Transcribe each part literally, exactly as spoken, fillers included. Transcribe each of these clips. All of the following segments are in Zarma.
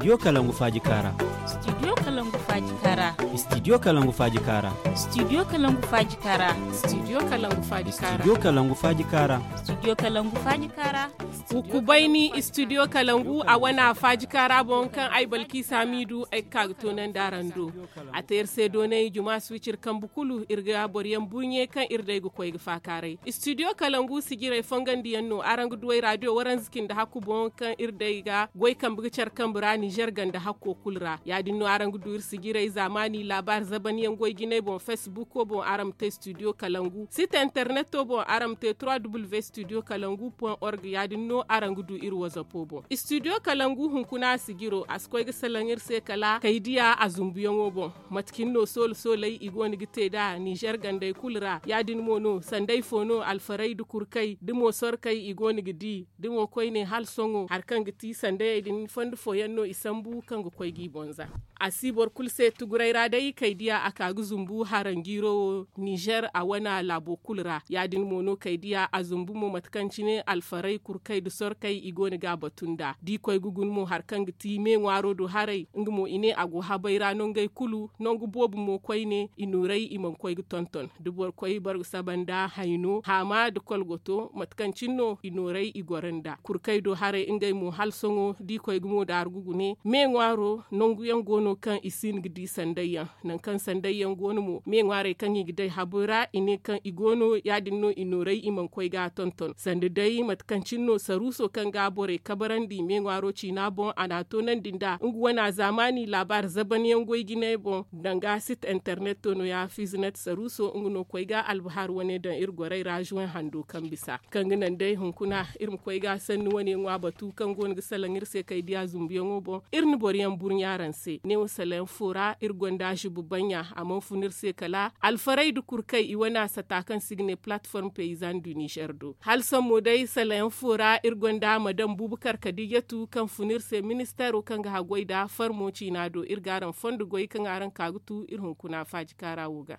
Studio kalangu faaji kaara. Studio kalangu faaji kaara. Studio kalangu faaji kaara. Studio kalangu faaji kaara. Studio kalangu faaji kaara. Studio kalangu faaji kaara. Studio kalangu faaji kaara. Hukubayni studio kalangu a wana faaji kaara boŋ kaŋ ay balki saamiidu ay ga ka ga toonandi araŋ do. A te iri se doonay juma suwicir kambe kulu iri ga boro yaŋ burɲe kaŋ iri day ga koy ga faakaaray. Studio kalangu sijirey fongandiyaŋ no araŋ ga duw'ey raadiyo waranza cindi hakku boŋ kaŋ iri day ga goy kambe ga care kambe ra nizer ganda hakko kulu ra. Ya- din no araŋ ga du iri sijirey zaamaani laabaari zabanyaŋ goy jinay boŋ facebook boŋ araŋ ma te studio kalangu site interneto boŋ araŋ ma te trois w studio kalangu point org ya- din no araŋ ga du iri wazapo boŋ. Studio kalangu hunkuna sijiro a si koy ga salaŋ iri se kala kaydiya a zumbuyaŋo boŋ. Mate cine no soola sooley i go no ga te nd'a nizer gandey kulu ra ya- din mo no sanday fo no alfarey nda kurkey da mo sorkey i go no ga di da mo koyne hala sohõ hari kaŋ ga ti sandayey din fondo fooyaŋ no i sambu kaŋ ga koy g'i boŋ za. A si boro kulu se tuguray ra day kaydiya a ka ga zumbu haranjiiro wo nizer a wane laabo kulu ra ya- din mo no kaydiya a zumbu mo mate kaŋ cine alfarey kurkey nda sorkey i go no ga a batu nd'a da i koy ga guna mo hari kaŋ ga ti me ŋwaaro do haray nga mo i ne a go habay ra nongey kulu nangu boobo mo koyne i nooray i mana koy ga tonton da boro koy bargu saba nda hayno haama nda kolgoto mate kaŋ cine no i nooray i goro nd'a kurkey do haray ngey mo hala sohõ da i koy ga mo daaru ga gune me ŋwaaro nangu yaŋ go no kaŋ i si hin ga di sanday yaŋ. Nangu kaŋ sanday yaŋ go no mo me ŋwaarey kaŋ i ga day habo ra i ne kaŋ i go no ya- din no i nooray i mana koy ga a tonton sanda day mate kaŋ cine no saruuso kaŋ ga borey kabarandi me ŋwaaro ciina boŋ a n'a toonandi nd'a nga wane a zaamaani laabaari zabanyaŋ goy jinay boŋ danga site interneto no- ya fizinet saruuso nga no koy ga albahar wane daŋ iri gorey ra zuwen hando kaŋ bisa kaŋ ga naŋ day hunkuna iri ma koy ga sanni wane ŋwa batu kaŋ go no ga salaŋ iri se kaydiya zumbuyaŋo boŋ. Iri na boro yaŋ burɲa araŋ se neewo salaŋ fo ra iri gonda zubu banɲa a mana fun iri se kala alfarey nda kurkey i wane a sata kaŋ se i ga ne platform paysan du nizer do hala sammo day salaŋ fo ra iri gonda madam bubakar kadijatu kaŋ fun iri se ministeero kaŋ ga haggoy nda farmo ciina do iri ga araŋ fondo goy kaŋ araŋ ka ga tu iri hunkuna faaji kaara wo ga.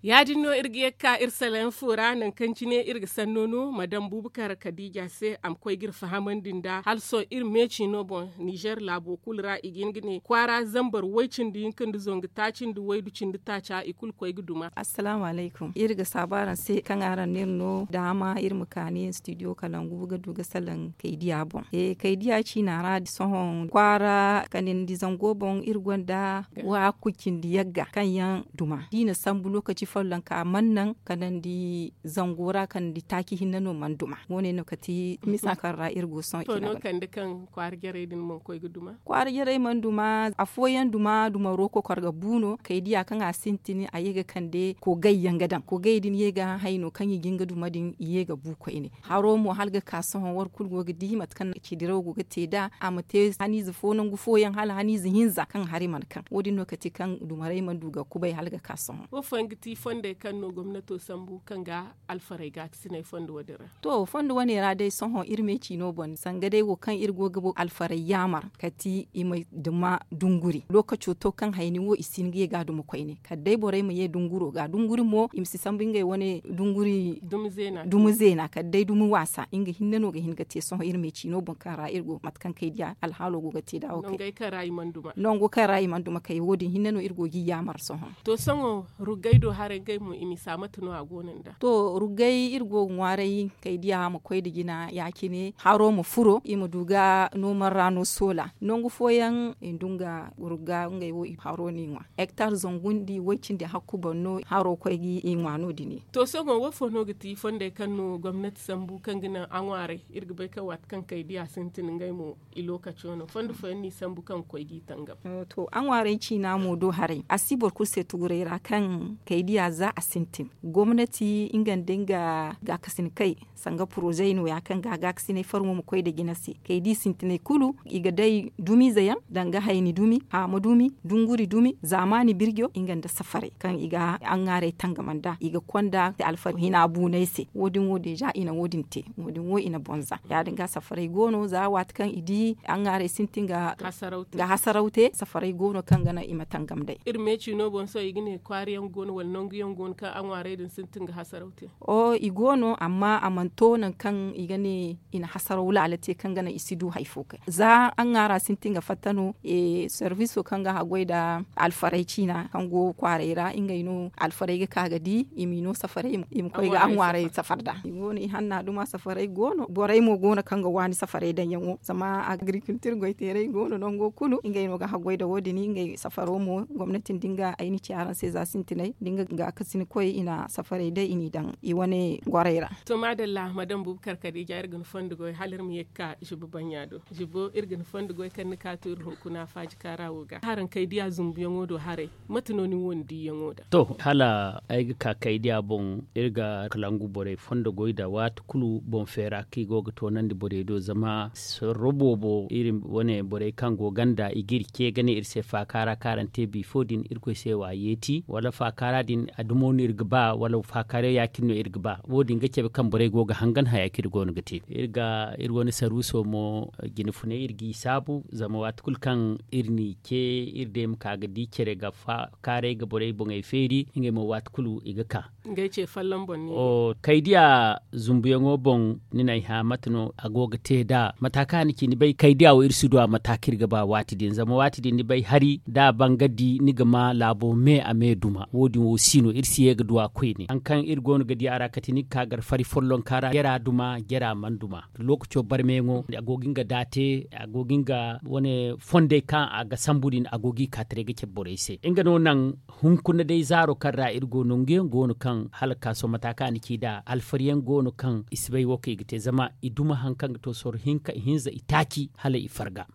Ya- din no iri ga ye ga ka iri salaŋ fo ra nangu kaŋ cine iri ga sanno no madam bubakar kadija se a ma koy ga iri fahamandi nd'a hala sohõ iri meecino boŋ nizer laabo kulu ra i ga hin ga ne kwaara zambar way- cindi hinka nda zangu taaci nda waydu cindi taaca i kulu koy ga duma. Iri ga saabu araŋ se kaŋ araŋ na iri no daama iri ma kaani studio kalangu ga du ga salaŋ kaydiya boŋ. Kaydiya ciina ra sohõ kwaara kanandi zango boŋ iri gonda waaku cindi yagga kaŋ yaŋ duma da i na sambu lokaci follonka mana naŋ kanandi zango ra kanandi taaci hinne no mana duma. Wo- ne no kati misa kaŋ ra iri go sohõ ciina ga. Kwaara jarey mana duma. Afooyaŋ duma dumaro kokor ga bu no kaydiya kaŋ a sintin a ye ga kande kogay yaŋ ga daŋ kogay din ye ga hayno kaŋ i ga hin ga duma din i ye ga bu koyne. Haro mo hala ga ka sohõ war kulu go ga di mate kaŋ ci diraw go ga te nd'a a ma te haniize fo nangu fooyaŋ hala haniize hinza kaŋ hari mana kaŋ wo- din no kati kaŋ dumaray mana du ga kubay hala ga ka sohõ. Wo- fooyaŋ ga ti fondey kaŋ no gomnato sambu kaŋ ga alfarey ga a ga sinay fondo wo- din ra. To fondo wane ra day sohõ iri me ciino boŋ sanga day wo kaŋ iri go ga alfarey yaamar kati i ma duma dunguri lokaco to kaŋ hayni wo i si hin ga ye ga a duma koyne kala day borey ma ye dunguro ga dunguri mo i ma si sambu ngey wane dunguri dumo zeena kala day dumo waasa nga hinne no ga hin ga te sohõ iri me ciino boŋ kaŋ ra iri go mate kaŋ kay diya alhaalo go ga te da wo kay nango kaŋ ra i mana duma kay wo- din hinne no iri go ga i yaamar sohõ. To sohõ ruggay do haray ngey mo i misa mate no a go no nda to ruggay iri go ga ŋwaaray kay diya ma koy nda jina ya- cine haro ma furo i ma du ga noomar ra no soola nangu fooyaŋ i ndu nga rugga ngey wo i haro no i ŋwa hektar zangu nda way- cindi hakku boŋ no haro koy ga i ŋwa no- din. To sohõ wo- fo no ga ti fondey kaŋ no gomnati sambu kaŋ ga naŋ a ŋwaaray iri ga bay kaŋ waati kaŋ kay diya sintin ngey mo i lookaco no fondo fooyaŋ no i sambu kaŋ ga koy ga i tangam. To a ŋwaaray ciina mo do haray a si boro kulu se tuguray ra kaŋ kay diya za a sintin gomnati nga nda nga gaakasin kay sanga poroze no ya kaŋ ga gaakasinay farmo ma koy nda jina se kay da i sintinay kulu i ga day dumiize yaŋ danga hayni dumi haama dumi dunguri dumi zaamaani birjo nga nda safaray kaŋ i ga aŋŋaaray tangam nd'a i ga konda alfari hina buunay se wo- din wo deeza i na wo- din te wo- din wo i na bonza ya- din ga safaray go no za waati kaŋ i di aŋŋaaray sintin ga hasaraw te safaray go no kaŋ ga naŋ i ma tangam day. Iri meeci no boŋ sohõ i ga ne kwaari yaŋ go no wala nangu yaŋ go no kaŋ aŋŋaaray din sintin ga hasaraw te? O i go no amma a mana to nangu kaŋ i ga ne i na hasaraw laala te kaŋ ga naŋ i si du hari fo kay za aŋŋaara sintin ga fatta no. Serviso kaŋ ga haggoy nda alfaray ciina kaŋ go kwaaray ra ngey no alfaray ga ka ga di i m'i no safaray i ma koy ga aŋŋaaray safar nd'a i go no i hanna duma safaray go no borey mo go no kaŋ ga waani safaray daŋ yaŋo zama agrikultir goy teeray go no nango kulu ngey no ga haggoy nda wo- din ngey safaro mo gomnati nda nga ay na ci araŋ se za sintinay nda nga gaakasin koy i na safaray day i n'i daŋ i wane gorey ra. To maadalla madam bubakar kadiija iri ga ni fondo goy hala iri ma ye ga ka zibo banɲa do zibo iri ga ni fondo goy kaŋ ni ka to iri hunkuna faaji kaara wo ga haraŋ kay diya zumbuyaŋo do haray mate no ni wo ni diiyaŋo nd'a? To hala ay ga ka kay diya boŋ iri ga kalangu borey fondo goy nd'a waati kulu boŋ feera kaŋ i go ga toonandi borey do zama sorro boobo iri wane borey kaŋ go ganda i ga iri ce ga ne iri se faakaara kaŋ araŋ te bifo din irkoy se wa yeeti wala faakaara din a dumo no iri ga ba wala faakaara ya- cine no iri ga ba wo- din ga cabe kaŋ borey go ga hangan haya kaŋ iri go no ga te iri ga iri wane sarwiso mo jine funay iri g'i saabu zama waati kulu kaŋ iri n'i ce iri day ma ka ga di care ga faakaaray ga borey boŋey feeri ngey mo waati kulu i ga ka. Ngey ce folloŋ boŋ ni ne? Kay diya zumbuyaŋo boŋ ni n'ay hã mate no a go ga te nd'a mata kaŋ a na ci ni bay kay diya wo iri si du a mata kaŋ iri ga ba waati din zama waati din ni bay hari da a ban ga di ni ga ma laabo me a me duma wo- din wo si no iri si ye ga du a koyne hari kaŋ iri go no ga di a ra kate ni ga ka gar fari follonka ra jara duma jara mana duma. Lookaco barmeyaŋo a go ga nga daate a go ga nga wane fondey kaŋ a ga sambu din a go g'i ka taray ga cabe borey se nga no naŋ hunkuna day zaaro kaŋ ra iri go nangu yaŋ go no kaŋ hala ga ka sohõ mata kaŋ a na ci nd'a alfari yaŋ go no kaŋ i si bay wo kaŋ i ga te zama i duma hari kaŋ ga to sorro hinka ihinza itaaci hala i farga.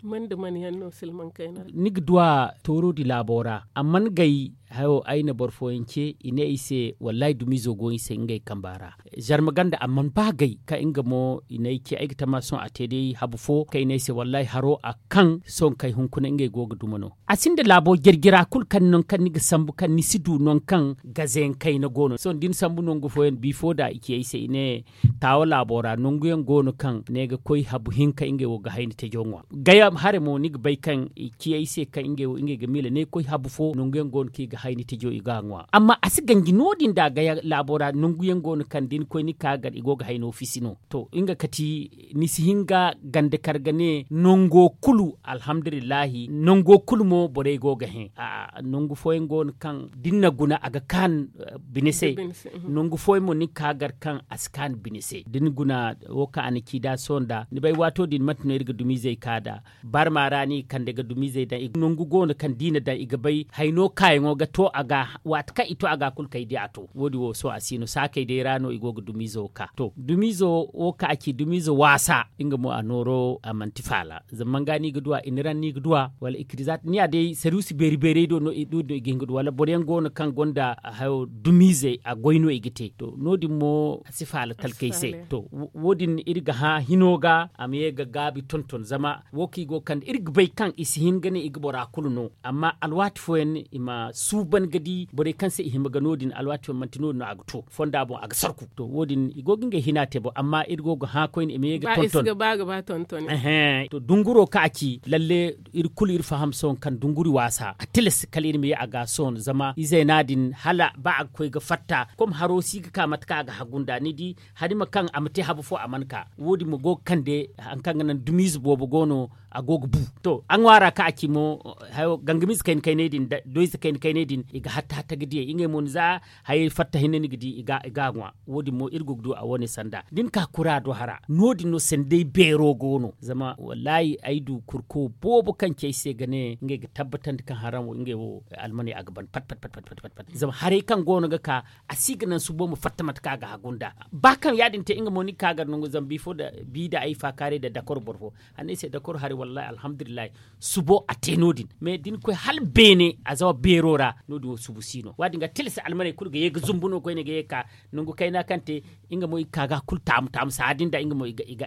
Ni ga du a tooro di laabo ra a mana gay hayo ay na boro fooyaŋ ce i ne ay se wallaahi dumiizo go i se ngey kamba ra. Zarma ganda a mana ba gay kaŋ nga mo i n'ay ce ay ga tama sohõ a te day habu fo kaŋ i ne ay se wallaahi haro a kaŋ sohõ kay hunkuna ngey go ga duma no. A sinda laabo jarjara kulu kaŋ nangu kaŋ ni ga sambu kaŋ ni si du nangu kaŋ gazayaŋ kayna go no sohõ da ni sambu nangu fooyaŋ bifo da i ci ay se i ne taawa laabo ra nanguyaŋ go no kaŋ ne ga koy habu hinka ngey wo ga hayni tajo ŋwa gaya hare mo ni ga bay kaŋ i ci ay se kaŋ ngey wo ngey ga miila ne koy habu fo nanguyaŋ go no kaŋ i ga hayni tajo i ga a ŋwa amma a si ganji no- din da gaya laabo ra nanguyaŋ go no kaŋ da ni koy ni ka gar i go ga hayno fisi no. To nga kati ni si hin ga ganda kar ga ne nango kulu alhamdulillahi nango kulu mo borey go ga hẽ. Nangu fooyaŋ go no kaŋ da ni na guna a ga kaanu bine se. Nangu fooyaŋ mo ni ga ka gar kaŋ a si kaanu bine se da ni guna wo kaŋ a na ci nd'a sohõ nda ni bay waato din mate no iri ga dumiizey ka nd'a. Barma ra no i kande ga dumiizey daŋ nangu go no kaŋ da i na daŋ i ga bay hayno kaayaŋo ga to a ga waati kaŋ i to a ga kulu kay di a to wo- din wo sohõ a si no saakey day ra no i go ga dumiizo ka to dumiizo wo kaŋ a ci dumiizo waasa nga mo a nooro a manti faala. Zama manga no i ga du a i na raŋ no i ga du a wala i kirizaati ni ya day saruusi beeri beerey do no i ga hin ga du wala boro yaŋ go no kaŋ gonda hayo dumiizey a goy no i ga te to no- din mo a si faala talkey se. To wo- din iri ga hã hino ga a ma ye ga gaabi tonton zama wo kaŋ i go ga kande iri ga bay kaŋ i si hin ga ne i ga bora kulu no amma alwaati fooyaŋ i ma suuban ga di borey kaŋ se i hima ga no- din alwaati fooyaŋ manti no- din no a ga to fonda boŋ a ga sarku to wo- din i go ga ngey hina te boŋ amma iri go ga hã koyne i ma ye ga tonton. To dunguro kaŋ a ci lalle iri kulu iri faham sohõ kaŋ dunguri waasa a tilas kala iri ma ye a ga sohõ zama izey no- din hala ba a ga koy ga fatta kom haro si ga ka mate kaŋ a ga hagu nd'a ni di hari ma kaŋ a ma te habu fo a mana ka wo- din mo go ga kande hari kaŋ ga naŋ dumiize boobo go no a go ga bu. To a ŋwaara kaŋ a ci mo hayo gangamiize kayna kayney din doyze kayna kayney din i ga hatta hatta ga diyey ngey mo ni za hayey fatta hinne ni ga di i ga a ŋwa. Wo- din mo iri go ga du a wane sanda da ni ka kura do hara no- din no sanday beero go no zama wallaahi ay du kurko boobo kaŋ ci ay se ga ne ngey ga tabbatandi kaŋ haraŋ wo ngey wo almaney a ga ban pat pat pat pat pat pat pat zama haray kaŋ go no ga ka a si ga naŋ subo ma fatta mate kaŋ a ga hagu nd'a. Ba kaŋ ya- din te nga mo ni ga ka gar nangu zama bifo da bi da ay faakaaray da dakor boro fo a ne ay se dakor haray. Wallahi alhamdulillahi. Subo a te no- din mais da ni koy hala beene a zawa beero ra. No- din wo subu si no wo- din ga tilas almaney kulu ga ye ga zumbu no koyne ga ye ga ka nangu kayna kaŋ te. Nga mo i ga ka ga a kulu taamu taamu saha din da nga mo i ga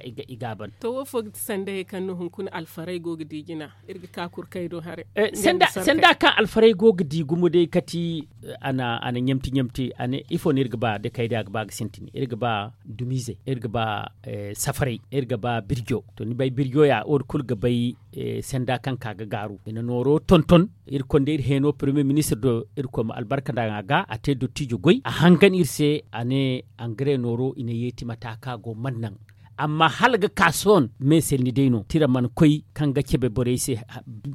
a ban. To wo fo ga ti sandayey kaŋ no hunkuna alfarey go ga di jina? Iri ga ka kurkay do haray. Sanda kaŋ alfarey go ga di gumo day kati a na ɲamti ɲamti a ne ifo no iri ga ba da kaydiya ga ba ga sintin iri ga ba dumiizey iri ga ba safarey iri ga ba birjo. To ni bay birjo ya wo- din kulu ga bay sanda kaŋ ka ga gaaru i na nooro tonton. Iri konda iri heeno premier ministre do iri koy ma albarka nda a ga a te dottiijo goy a hangan iri se a ne angare nooro i na yeeti mata kaŋ a go man naŋ. Amma hala ga ka sohõ meeselni day no tira mana koy kaŋ ga cabe borey se.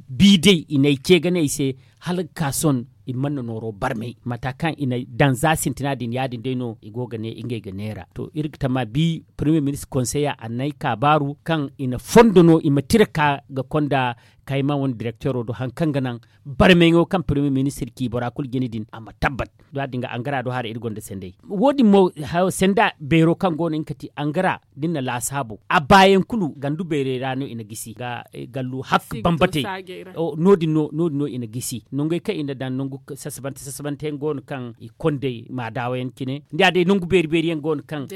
Bi day i n'ay ce ga ne ay se hala ga ka sohõ i mana nooro barmay mata kaŋ i na daŋ za sintina din ya- din day no i go ga ne ngey ga neera to iri ga tama bi premier ministre konseya a n'ay ka baaru kaŋ i na fondo no i ma tira ka ga konda kayma wane direktero do hari kaŋ ga naŋ barmayaŋo kaŋ premier ministre ci bora kulu jine din a ma tabbat. Da- din ga angara do haray iri gonda sanday wo- din mo sanda beero kaŋ go no nga kati angara da ni na laasaabo a baayaŋ kulu gandu beerey ra no i na gisi ga gallu hakka bambate. No- din no i na gisi nangey kaŋ i na daŋ nangu sasabante sasabante yaŋ go no kaŋ i kondey maadaawa yaŋ cine ni ya day nangu beeri beeri yaŋ go no kaŋ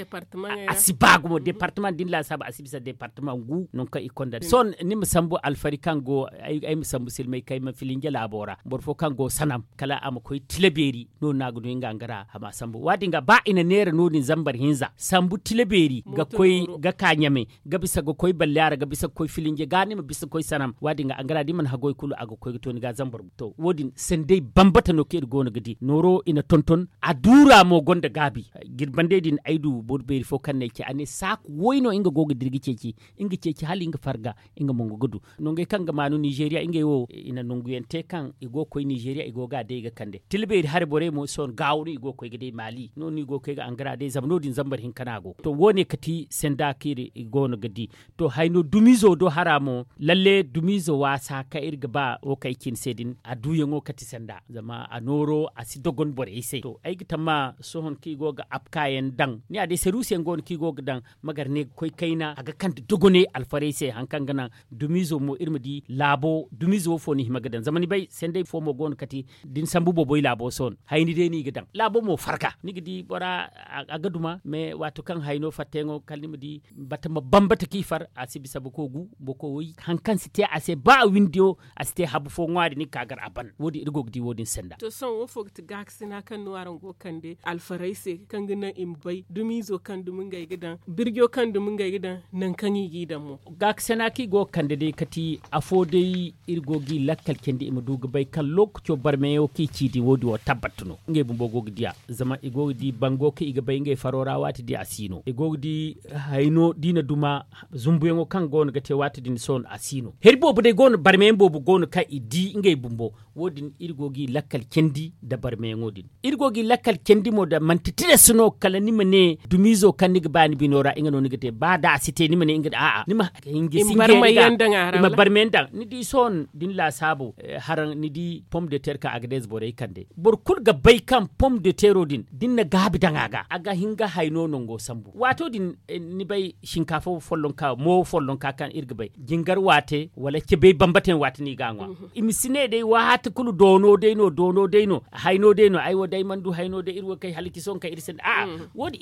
a si ba gumo departama da ni laasaabo a si bisa departama ngu nangu kaŋ i konda sohõ ni ma sambu alfari kaŋ go ay ma sambu silmay kayma filinje laabo ra boro fo kaŋ go sanam kala a ma koy tila beeri no- din no a ga du nga angara a ma sambu wo- din ga ba i na neera no- din zambar hinza sambu tila beeri ga koy ga ka ɲame ga bisa ga koy balliyaara ga bisa ga koy filinje ga ni ma bisa ga koy sanam wo- din ga angara da i mana hagoy kulu a ga koy ga to ni ga zambar to wo- din sanday bambata no kaŋ iri go no ga di nooro i na tonton a duura mo gonda gaabi. Jirbandey din ay du boro beeri fo kaŋ n'ay ce a ne saaku woy no nga go ga dira ga ceeci nga ceeci hala nga farga nga mongo ga du. Nangey kaŋ ga maanu nizeeriya ngey wo i na nanguyaŋ te kaŋ i go ga koy nizeeriya i go ga a day ga kande tila beeri hari borey mo sohõ gaawo no i go ga koy ga day maali no- din i go ga koy ga angara day zama no- din zambar hinka no a go to wo- ne kati sanda kaŋ iri go no ga di. To hayno dumiizo do hara mo lalle dumiizo waasa kaŋ iri ga ba wo kaŋ ay ci ni se din a duuyaŋo kati sanda zama a nooro a si dogon borey se to ay ga tamma sohõ kaŋ i go ga apkayaŋ daŋ ni ya day saruusiyaŋ go no kaŋ i go ga daŋ ma gar ne ga koy kayna a ga kande dogoney alfarey se hari kaŋ ga naŋ dumiizo mo iri ma di laabo dumiizo wo fo ni hima ga daŋ zama ni bay sanday fo mo go no kati da ni sambu booboy laabo sohõ hayni day no i ga daŋ laabo mo farga ni ga di bora a ga duma mais waato kaŋ hayno fattayaŋo kala ni ma di bata ma bambata kaŋ i far a si bisa boko gu boko woy hari kaŋ si te a se ba a windiyo a si te habu fo ŋwaari ni ga ka gar a ban wo- din iri go ga di wo- din sanda. To sohõ wo fo ga ti gaakasina kaŋ no araŋ go ga kande alfarey se kaŋ ga naŋ i ma bay dumiizo kaŋ dumi ngey ga daŋ birjo kaŋ dumi ngey ga daŋ nangu kaŋ i g'i daŋ mo. Gaakasina kaŋ i go ga kande day kati afo day iri go g'i lakkal candi i ma du ga bay kaŋ lookaco barmeyaŋo kaŋ i ci din wo- din wo tabbat no ngey bumbo go ga di a zama i go ga di bango kaŋ i ga bay ngey faro ra waati din a si no i go ga di hayno da i na duma zumbuyaŋo kaŋ go no ga te waati din sohõ a si no hari boobo day go no barmeyaŋ boobo go no kaŋ i di ngey bumbo wo- din iri go g'i lakkal candi nda barmeyaŋo din iri go g'i lakkal candi mo da manti tilas no kala ni ma ne dumiizo kaŋ ni ga ba ni bino ra nga no ni ga te ba da a si te ni ma ne nga da a'a ni ma hinga singe i ma barmeyaŋ daŋ ni di sohõ da ni laasaabo haraŋ ni di pom de ter kaŋ a ga deeze borey kande boro kulu ga bay kaŋ pom de tero din da ni na gaabi daŋ a ga a ga hin ga hayno nango sambu waato din ni bay shinkaafo follonka mo follonka kaŋ iri ga bay jingar waate wala cebey bambata yaŋ waate no i ga a ŋwa i ma si ne day waati kulu doono day no doono day no hayno day no ay wo day mana du hayno day iri wo kay hala ci sohõ kaŋ iri sinda a'a wo- din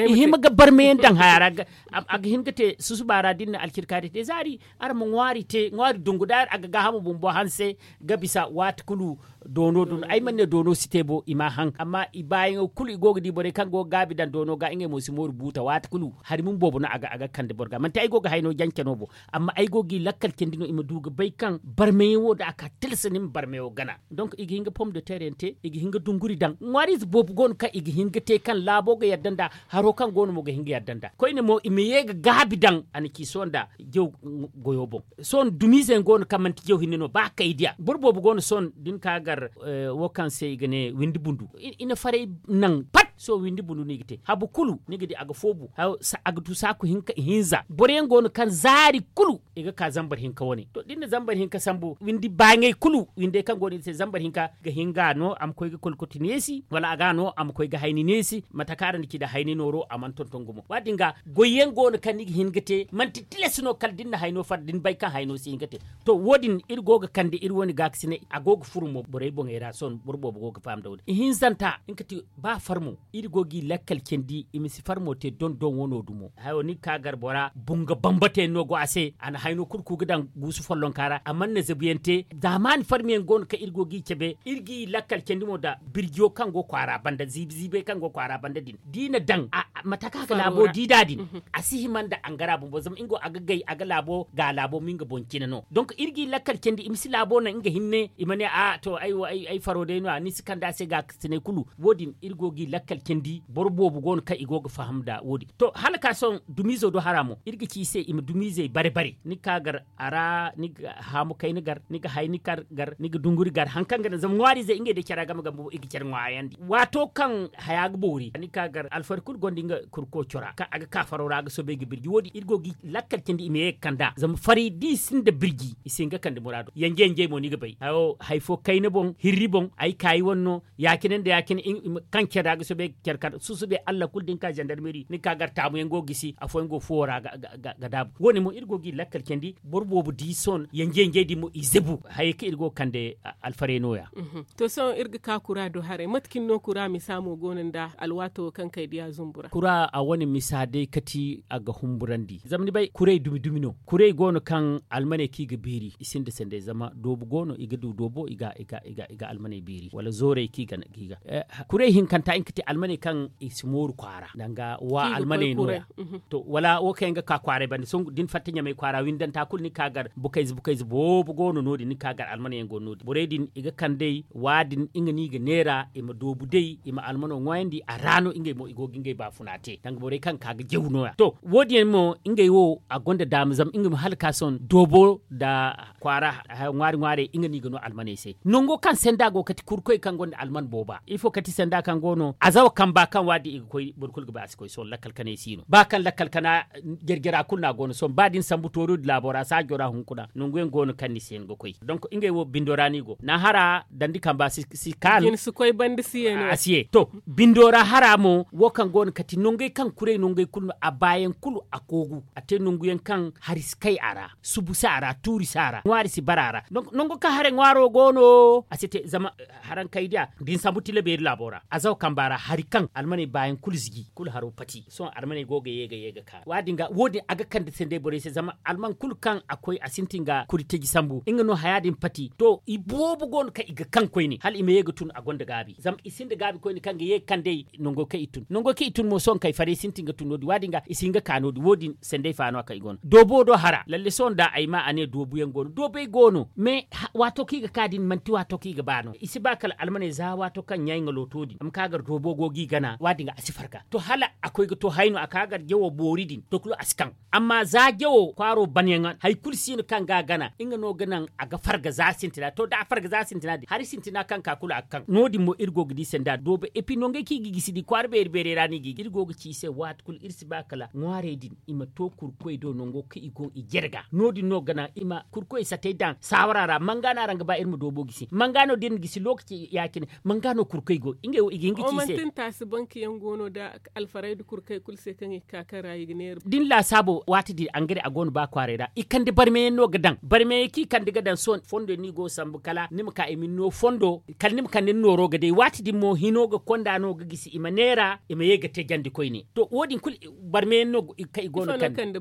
i hima ga barmeyaŋ daŋ haya ra a ga hin ga te susuba ra da ni na alcirkaari te zaari araŋ ma ŋwaari te ŋwaari dungu da a ga gaahamo bumbo hanse ga bisa waati kulu doono doono ay mana ne doono si te bo i m'a haŋ amma i baayaŋo kulu i go ga di borey kaŋ go ga gaabi daŋ doono ga ngey mo si mooru buuta waati kulu hari mun boobo no a ga kande boro ga manti ay go ga hayno jance no bo amma ay go g'i lakkal candi no i ma du ga bay kaŋ barmayaŋ wo da a ka tilasa ni ma barmayaŋo gana donk i ga hin ga pom de ter yaŋ te i ga hin ga dunguri daŋ ŋwaariize boobo go no kaŋ i ga hin ga te kaŋ laabo ga yadda nda haro kaŋ go no mo ga hin ga yadda nda koyne mo i ma ye ga gaabi daŋ a na ci sohõ nda jaw goyo boŋ sohõ dumiize yaŋ go no kaŋ manti jaw hinne no ba kay diya boro boobo go no sohõ da ni ka gar wo kaŋ se i ga ne windi bundu i na faray naŋ pat Sohõ windi bundu no i ga te habu kulu ni ga di a ga foobu. A ga du saaku hinka ihinza boro yaŋ go no kaŋ zaari kulu i ga ka zambar hinka wane to da ni na zambar hinka sambu windi baaɲey kulu windey kaŋ go no i ga te zambar hinka ga hin ga no a ma koy ga kolkoti neesi wala a ga no a ma koy ga hayni neesi mate kaŋ araŋ na ci nda hayni nooro a mana tonton gumo wa- din ga goy yaŋ go no kaŋ ni ga hin ga te manti tilas no kala da ni na hayno far da ni bay kaŋ hayno si hin ga te. To wo- din iri go ga kande iri wane gaakasinay a go ga furu mo borey boŋey ra sohõ boro boobo go ga faham nda wo- din ihinzanta nga ti ba farmo iri go g'i lakkal candi i ma si farmo te dondon wano dumo hayo ni ga ka gar bora bunga bambata yaŋ no go a se a na hayno kulu ku ga daŋ guusu follonka ra a mana na zabu yaŋ te zaamaani farmi yaŋ go no kaŋ iri go g'i cabe iri g'i lakkal candi mo nda birjiyo kaŋ go kwaara banda ziibi ziibey kaŋ go kwaara banda din da i na daŋ mate kaŋ a ga laabo di nd'a din a si hima nda angara bumbo zama nga wo a ga gay a ga laabo ga laabo ma nga boŋ cine no donk iri g'i lakkal candi i ma si laabo naŋ nga hinne i ma ne a to ay wo ay faro day no- ya ni si kande a se gaakasinay kulu wo- din iri go g'i lakkal candi boro boobo go no kaŋ i go ga faham nda wo- din to hala ka sohõ dumiizo do hara mo iri ga ci i se i ma dumiizey bare bare ni ga ka gar a ra ni ga haamu kayna gar ni ga hayni kar gar ni ga dunguri gar hari kaŋ ga naŋ zama ŋwaariizey ngey day care game game bumbo i ga care ŋwaayandi waato kaŋ haya ga boori ni ga ka gar alfari kulu gonda nga kurko cora kaŋ a ga ka faro ra a ga soobay ga birji wo- din iri go g'i lakkal candi i ma ye ga kand'a zama fari da i sinda birji i si hin ga kande muraado yanje yanjey mo ni ga bay hayo hari fo kayna boŋ hirri boŋ ay kaayi wane no ya- cine nda ya- cine kaŋ care ra ga soobay care kar susube allah kulu da ni ka zandarmeri ni ga ka gar taamu yaŋ go ga gisi afooyaŋ go fuwo ra ga daabu wo- ne mo iri go g'i lakkal candi boro boobo di sohõ yanje yanjey din mo i zabu hayey kaŋ iri go ga kande alfaray no- ya. To sohõ iri ga ka kura do haray mate cine no kura misa mo go no nda alwaato wo kaŋ kay diya zumbu ra kura a wane misa day kati a ga humburandi zama ni bay kuray dumi dumi no kuray go no kaŋ almaney kaŋ i ga beeri i sinda sanday zama doobu go no i ga du doobo i ga almaney beeri wala zoorey kaŋ i ga kuray hinkanta nga ga te almaney kaŋ i si mooru kwaara danga wa almaney no- ya. To wala wo kaŋ yaŋ ga ka kwaaray banda sohõ da ni fatta ɲamay kwaara windanta kulu ni ga ka gar bukayze bukayze boobo go no no- din ni ga ka gar almaney yaŋ go no- din borey din i ga kand'ey wa- din nga no i ga neera i ma doobu day i ma almano ŋwaayandi a ra no ngey mo i go ga ngey baafuna te danga borey kaŋ ga ka ga jaw no- ya to wo- din yaŋ mo ngey wo a gonda daama zama nga ma hala ka sohõ doobo nda kwaara ŋwaari ŋwaarey nga no i ga no almaney se nango kaŋ sanda go kati kurkoy kaŋ gonda alman booba ifo kati sanda kaŋ go no azawa kamba kaŋ wa- din i ga koy boro kulu ga ba a si koy sohõ lakkal kanay si no ba kaŋ lakkal kana jare jara kulu no a go no sohõ ba da ni sambu tooro din laabo ra saajo ra hunkuna nangu yaŋ go no kaŋ ni si hin ga koy donk ngey wo bindo ra no i go naahara dandi kamba si kaanu a si ye to bindo ra hara mo wo kaŋ go no kati nangey kaŋ kuray nangey kulu no a baayaŋ kulu a koogu a te nangu yaŋ kaŋ hari si kay a ra subu si a ra tuuri si a ra ŋwaari si bara a ra nango kaŋ haray ŋwaaro go no a si te zama harankay diya da ni sambu tila beeri laabo ra azawa kamba ra hari kaŋ almaney baayaŋ kulu ziji kulu haro pati sohõ almaney go ga ye ga ye ga ka wa- din ga wo- din a ga kande sanday borey se zama alman kulu kaŋ a koy a sintin ga kuri taji sambu nga no haya din pati to i boobo go no kaŋ i ga kaŋ koyne hala i ma ye ga tun a gonda gaabi zama i sinda gaabi koyne kaŋ ga ye ga kand'ey nango kaŋ i tun nango kaŋ i tun mo sohõ kay farey sintin ga tun no- din wa- din ga i si hin ga ka no- din wo- din sanday fa no- ya kaŋ i go no doobo do hara lalle sohõ nda ay ma a ne doobu yaŋ go no doobey go no mais waato kaŋ i ga ka din manti waato kaŋ i ga ba no i si ba kala almaney za waato kaŋ ɲaay nga looto din a ma ka gar doobo go ga i gana wa- din ga a si farga to hala a koy ga to hayno a ka gar jawo boori din to kulu a si kaŋ amma za jawo kwaaro banyaŋ hari kulu si no kaŋ ga a gana nga no ga naŋ a ga farga za sintina to da a farga za sintina din hari sintina kaŋ ka kulu a ga kaŋ no- din mo iri go ga di sanda doobo epi nangey kaŋ i ga gisi di kwaara beeri beerey ra no i ga i ga iri go ga ci i se waati kulu iri si ba kala ŋwaarey din i ma to kurkoy do nango kaŋ i go i jare ga no- din no ga naŋ i ma kurkoy satey daŋ saawara ra manga no araŋ ga ba iri ma doobo gisi manga no da iri na gisi lookaci ya- cine manga no kurkoy go ngey wo i ga hin ga ci i se manti ni taasi banki yaŋ go no da alfarayda kurkey kulu se kaŋ i ga ka kaŋ ra i ga neera da ni laasaabo waati din angare a go no ba kwaaray ra i kande barmeyaŋ no ga daŋ barmeyaŋ kaŋ i kande ga daŋ sohõ fondo yaŋ no i go ga sambu kala ni ma ka i ma ni no fondo kala ni ma kande ni nooro ga day waati din mo hino ga konda no ga gisi i ma neera i ma ye ga te jandi koyne to wo- din kulu barmeyaŋ no kaŋ i go no kande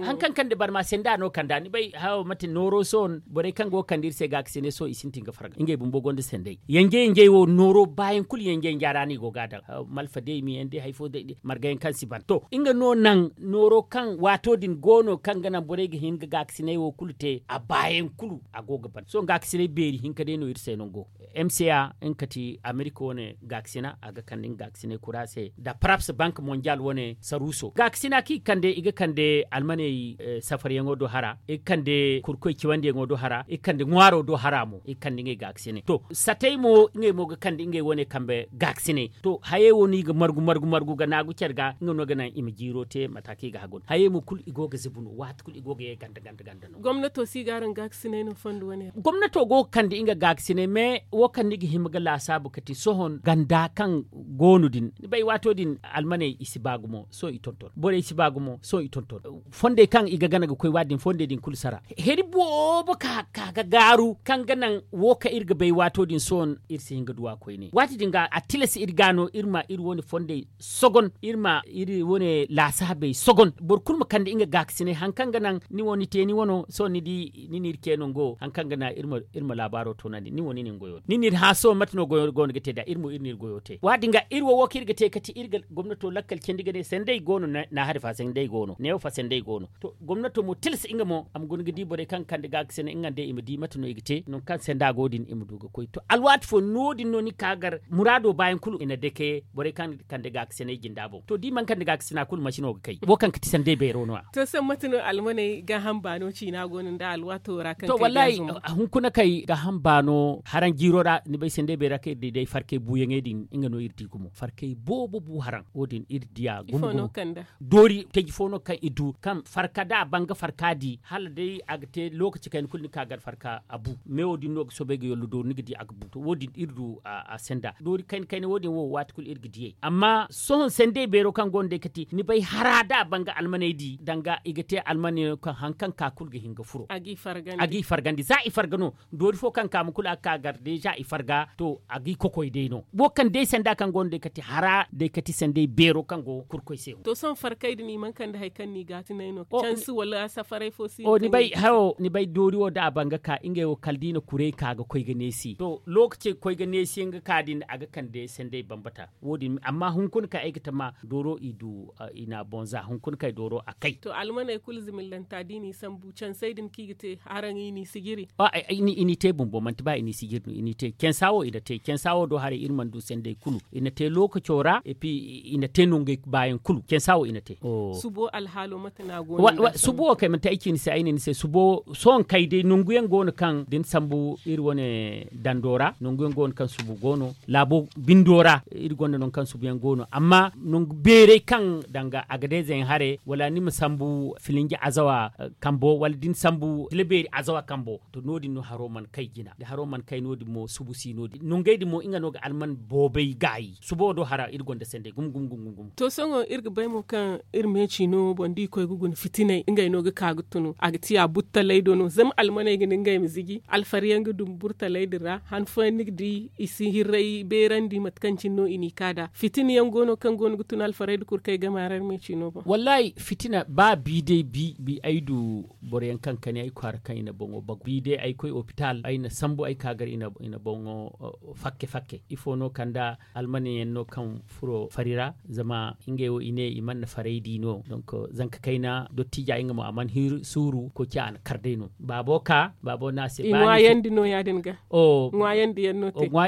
haŋ kaŋ kande barma senda no kanda ni bay hawo mate nooro sohõ borey kaŋ go ga kande iri se gaakasinay sohõ i sintin ga farga ngey bumbo gonda sanday yanje yanjey wo nooro baayaŋ kulu yanje yanja ra no i go ga a daŋ malfa day miyaŋ day hari fo day margayaŋ kaŋ si ban to nga no naŋ nooro kaŋ waato din go no kaŋ ga naŋ borey ga hin ga gaakasinay wo kulu te a baayaŋ kulu a go ga ban sohõ gaakasinay beeri hinka day no iri se nango mca nga kati amerika wane gaakasina a ga kande nga gaakasinay kura se nda paraps bank mondial wane saruuso gaakasina kaŋ i kande i ga kande almaney safaryaŋo do hara i ga kande kurkoy ciwandiyaŋo do hara i ga kande ŋwaaro do hara mo i ga kande ngey gaakasinay to satey mo ngey mo ga kande ngey wane kambe gaakasinay to Hayey wo no i ga margu margu margu ga naagu care ga nga no ga naŋ i ma jiiro te mate kaŋ i ga hagu no hayey mo kulu i go ga zibu no waati kulu i go ga ye ganda ganda ganda no. Gomnato si ga araŋ gaakasinay no fondo wane ra? Gomnato go ga kande nga gaakasinay mais wo kaŋ ni ga hima ga laasaabu kati sohõ ganda kaŋ go no din ni bay waato din almaney i si ba gumo sohõ i tonton borey si ba gumo sohõ i tonton. Fondey kaŋ i ga gana ga koy waati din fondey din kulu sara heri boobo ka ga gaaru kaŋ ga naŋ wo kaŋ iri ga bay waato din sohõ iri si hin ga duw'a koyne waati din ga a tilas iri ga no iri ma iri wane fondey sogon iri ma iri wane laasaabey sogon boro kulu ma kande nga gaakasinay hari kaŋ ga naŋ ni wo ni te ni wano sohõ ni di ni n'iri ce nango hari kaŋ ga naŋ iri ma laabaaro toonandi ni wo ni n'iri hã sohõ mate no goyo go no ga te nd'a iri mo iri n'iri goyo te waati din ga iri wo wo kaŋ iri ga te kati iri ga gomnato lakkal candi ga ne sandey go no naahari fa sandey go no neewo fa sandey go no. To gomnato mo tilas nga mo a ma guna ga di borey kaŋ ga kande gaakasinay nga nda i ma di mate no i ga te nangu kaŋ sanda go din i ma du ga koy to alwaati fo no- din no ni ka gar muraado baayaŋ kulu i na dake borey kaŋ ga kande gaakasinay jinda boŋ to da i mana kande gaakasina kulu masi no ga kay wo kaŋ ga ti sandey beero no- ya. To sohõ mate no almaney gaaham baano ciina go no nda alwaato ra kaŋ kay ga zama? Hunkuna kay gaaham baano haraŋ jiiro ra ni bay sandey beero ra kaŋ iri di day farkay buuyaŋey din nga no iri di gumo farkay boobo bu haraŋ wo- din iri diya gumo gumo. Doori taji fo no kaŋ i du kaŋ farka da a banga farka di hala day a ga te lookaci kayna kulu ni ka gar farka a bu meewo din no ga soobay ga yollo doori ni ga di a ga bu to wo- din iri du a senda doori kayna kayna wo- din wo waati kulu iri ga diyey amma sohõ sendey beero kaŋ go no day kati ni bay hara da a banga almaney di danga i ga te almaney no kaŋ hari kaŋ ka kulu ga hin ga furo a g'i fargandi za i farga no doori fo kaŋ ka ma kulu a ga ka gar deeza i farga to a g'i kokoy day no wo kaŋ day sanda kaŋ go no day kati hara day kati sandey beero kaŋ go kurkoy se. To sohõ farkay din i mana kande hari kaŋ no i ga a tinay no cansi wala safaray fo si ni bay hayo ni bay doori wo da a ban ga ka ngey wo kala da i na kuray ka ga koy ga neesi to lookaci ga koy ga neesi yaŋ ga ka din a ga kande sandey bambata wo- din amma hunkuna kaŋ ay ga tama dooro i du i n'a boŋ za hunkuna kaŋ ay dooro a kay. To almaney kulu zimillanta da i n'i sambu cansey din kaŋ i ga te haraŋ i n'i sijiri? I n'i te bumbo manti ba i n'i sijiri no i n'i te cansa wo i na te cansa wo do haray iri mana du sendey kulu i na te lookaco ra et puis i na te nongey baayaŋ kulu cansa wo i na te. Subo alhaalo mate no a go no subo wo kay manti ay ci ni se ay ne ni se subo sohõ kay day nangu yaŋ go no kaŋ da ni sambu iri wane dando ra nangu yaŋ go no kaŋ subo go no laabo bindo ra iri gonda nangu kaŋ subo yaŋ go no amma nangu beeray kaŋ danga agadezey haray wala ni ma sambu filinji azawa kambo wala da ni sambu tila beeri azawa kambo to no- din no haro mana kay jina da haro mana kay no- din mo subu si no- din nongey din mo nga no ga alman boobay gaayi subo do hara iri gonda sendey gumo gumo gumo gumo. To sohõ iri ga bay mo kaŋ iri me ciino boŋ da i koy ga guna fitinay ngey no ga ka ga tunu a ga ti a burtalay do no zama almaney ga ne ngey ma ziji alfari yaŋ ga dum burtalay din ra han fooyaŋ ni ga di i si hirray beerandi mate kaŋ cine no i n'i ka nd'a fitina yaŋ go no kaŋ go no ga tun alfarey nda kurkey game a ra iri ma ay ci no boŋ. Wallaahi fitina ba bi day bi ay du boro yaŋ kaŋ kani ay kwaara kaŋ i na boŋo bagu bi day ay koy opitaal ay na sambu ay ka gar i na boŋo fakke fakke ifo no kanda almane yaŋ no kaŋ furo fari ra zama ngey wo i ne i mana faray di no donk zanka kayna dottija nga mo a mana hiri suuru koy ci a na kar day no baabo ka baabo no a se ba ni ŋwaayandi no ya- din ga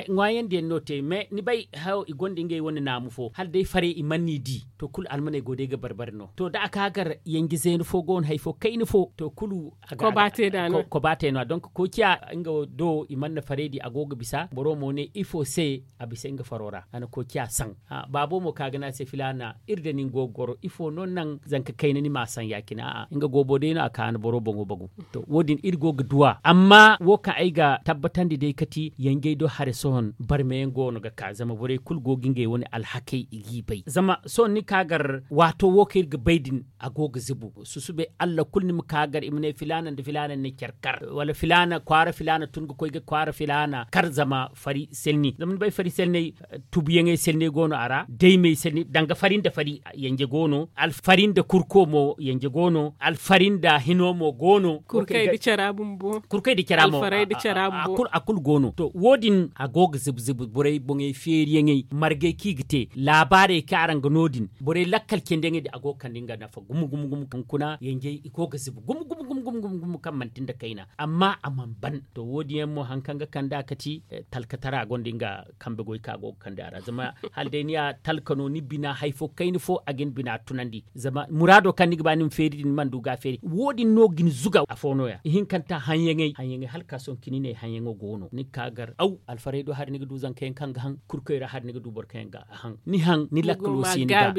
ŋwaayandi yaŋ no te mais ni bay hayo i gonda ngey wane naamu fo hala day faray i mana ni di to kulu almaney go day ga barbari no to da a ka gar yanje zeena fo go no hari fo kayna fo to kulu koba te no ya donk koy ciya nga do i mana faray di a go ga bisa boro mo ne ifo se a bisa nga faro ra a na koy ciya saŋ baabo mo ka ga ne a se filaana iri da nin go ga goro ifo no naŋ zanka kayna ni ma saŋ ya- cine a'a nga goobo day no a ka a na boro boŋo bagu to wo- din iri go ga duw'a amma wo kaŋ ay ga tabbatandi day kati yanjey do hare sohõ barmeyaŋ go no ga ka zama borey kulu go ga ngey wane alhakey i g'i bay zama sohõ ni ka gar waato wo kaŋ iri ga bay din a go ga zibu susube allah kulu ni ma ka gar i ma ne filaana nda filaana ni na care kar wala filaana kwaara filaana tun ga koy ga kwaara filaana kar zama fari selni zama ni bay fari selney tubuyaŋey selney go no a ra daymey selney danga fari nda fari yanje go no alfari nda kurko mo yanje go no alfari nda hino mo go no kurkey nda cara bumbo kurkey nda cara mo alfaray nda cara bumbo a kulu go no to wo- din a go ga zibu zibu borey boŋey feeriyaŋey margey kaŋ i ga te laabaarey kaŋ araŋ ga no- din borey lakkal candiyaŋey din a go ga kande nga nafa gumo gumo gumo kaŋ kuna yanjey i go ga zibu gumo gumo gumo gumo kaŋ manti nda kayna amma a mana ban to wo- din yaŋ mo hari kaŋ ga kande a kati talkatara gonda nga kambe goy kaŋ a go ga kande a ra zama hala day ni ya talka no ni bina hari fo kayna fo a ga ni bina tunandi zama muraado kaŋ ni ga ba ni ma feeri din ni mana du ga a feeri wo- din no ga ni zuga afo no- ya ihinkanta haŋyaŋey haŋyaŋey hala ka sohõ cine i ne haŋyaŋo go no ni ga ka gar aw alfaray do hari ni ga du zanka yaŋ kaŋ ga haŋ kurkoy ra hari ni ga du boro kaŋ yaŋ ga a haŋ ni haŋ ni lakkalo si ni ga.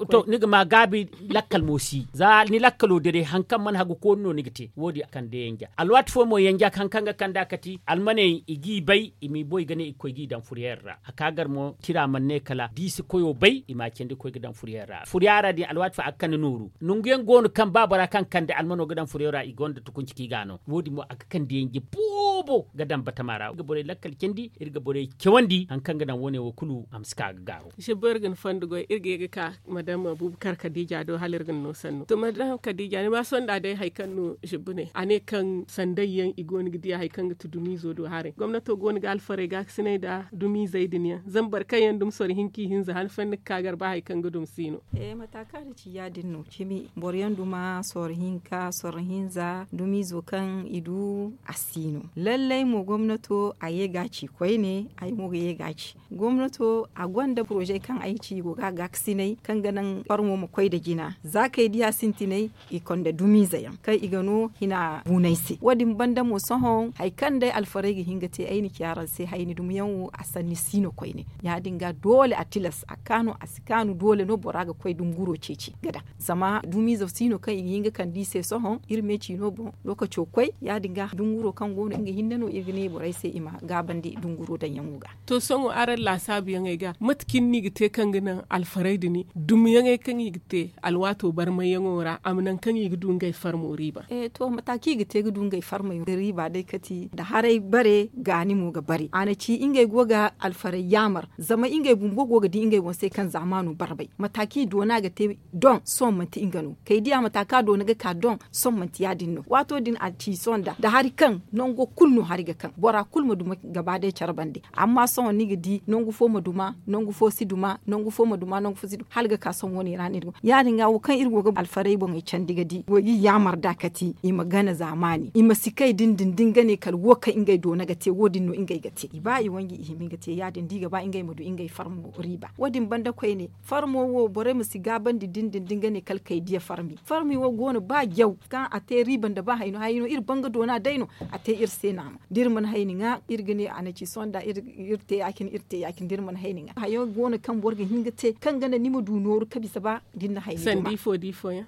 To ni ga ma gaabi lakkal mo si za ni lakkalo dede haŋ kaŋ mana hagu koonu no ni ga te wo- din a kande yanja alwaati fooyaŋ mo yanja haŋ kaŋ ga kande a kati almaney i g'i bay i m'i boy ga ne i ga koy g'i daŋ furiyeer ra a ka gar mo tira mana ne kala da i si koyo bay i m'a candi ga koy ga daŋ furiyeer ra furiyeer ra din alwaati fooyaŋ a ga kande nooru nangu yaŋ go no kaŋ ba bora kaŋ kande almano ga daŋ furiyeer ra i gonda tukunci kaŋ i ga a no wo- din mo a ga kande yanje boobo ga daŋ batama ra iri ga borey lakkal candi iri ga borey cawandi haŋ kaŋ ga daŋ wo- ne wo kulu a ma si ka ga gaaro. Zibbo iri ga ni fondo goy iri ga ye ga ka madam buubu kar kadiija do hala iri ga ni no sannu to madam kadiija ni ma sonda day hari kaŋ no zibbo ne a ne kaŋ sanday yaŋ i go no ga diya hari kaŋ ga ti dumiizo do haray gomnato go no ga alfarey ga ga sinay nda dumiizey din yaŋ zama boro kaŋ yaŋ dumi soro hinka i hinza han fo ni ga ka gar ba hari kaŋ ga dumi si no. Mata kaŋ a na ci ya- din no cimi boro yaŋ duma soro hinka soro hinza dumiizo kaŋ i du a si no lallay mo gomnato a ye ga a ci koyne ay mo ga ye ga a ci gomnato a gonda poroze kaŋ ay ci i go ga a gaakasinay kaŋ ga naŋ farmo ma koy nda jina za kay diya sintinay i konda dumiize yaŋ kaŋ i ga no hina buunay se wo- din banda mo sohõ hari kaŋ day alfarey ga hin ga te ay na ci araŋ se hayni dumiyaŋ wo a sanni si no koyne ya- din ga doole a tilas a kaanu a si kaanu doole no bora ga koy dunguro ceeci ga daŋ zama dumiize si no kaŋ i ga hin ga kande i se sohõ iri me ciino boŋ lookaco koy ya- din ga dunguro kaŋ go no nga hinne no iri ga ne borey se i ma gaabandi dunguro daŋyaŋo ga. To sohõ araŋ laasaabuyaŋey ga mate cine no i ga te kaŋ ga naŋ alfarey din dumiyaŋey kaŋ i ga te alwaato barmayyaŋo ra a ma naŋ kaŋ i ga du ngey farmo riiba. To mata kaŋ i ga te ga du ngey farmey riiba day kati nda haray bare gaani mo ga bare a na ci ngey go ga alfarey yaamar zama ngey bumbo go ga di ngey boŋ se kaŋ zaamaano barbay mata kaŋ i doona ga te doŋ sohõ manti nga no kay diya mata kaŋ a doona ga ka doŋ sohõ manti ya- din no waato din a ci sohõ nda nda hari kaŋ nango kulu no hari ga kaŋ bora kulu ma duma gaba day care bande amma sohõ ni ga di nangu fo ma duma nangu fo si duma nangu fo ma duma nangu fo si duma hala ga ka sohõ wo- ne ra no iri go ya- din ga wo kaŋ iri go ga alfarey boŋey candi ga di go ga i yaamar nd'a kati i ma gana zaamaani i ma si kay din din da nga ne kala wo kaŋ ngey doona ga te wo- din no ngey ga te i ba i wanji i hima nga te ya- din da i ga ba ngey ma du ngey farmo riiba wo- din banda koyne farmo wo borey ma si gaabandi din din da nga ne kala kay diya farmi farmi wo go no ba jaw kaŋ a te riiba nda ba hayno hayno iri banga doona day no a te iri se naama da iri mana hayni ŋwa iri ga ne a na ci sohõ nda iri te ya- cine iri te ya- cine da iri mana hayni ŋwa hayo go no kaŋ boro ga hin ga te kaŋ ga naŋ ni ma du nooru ka bisa ba da ni na hayni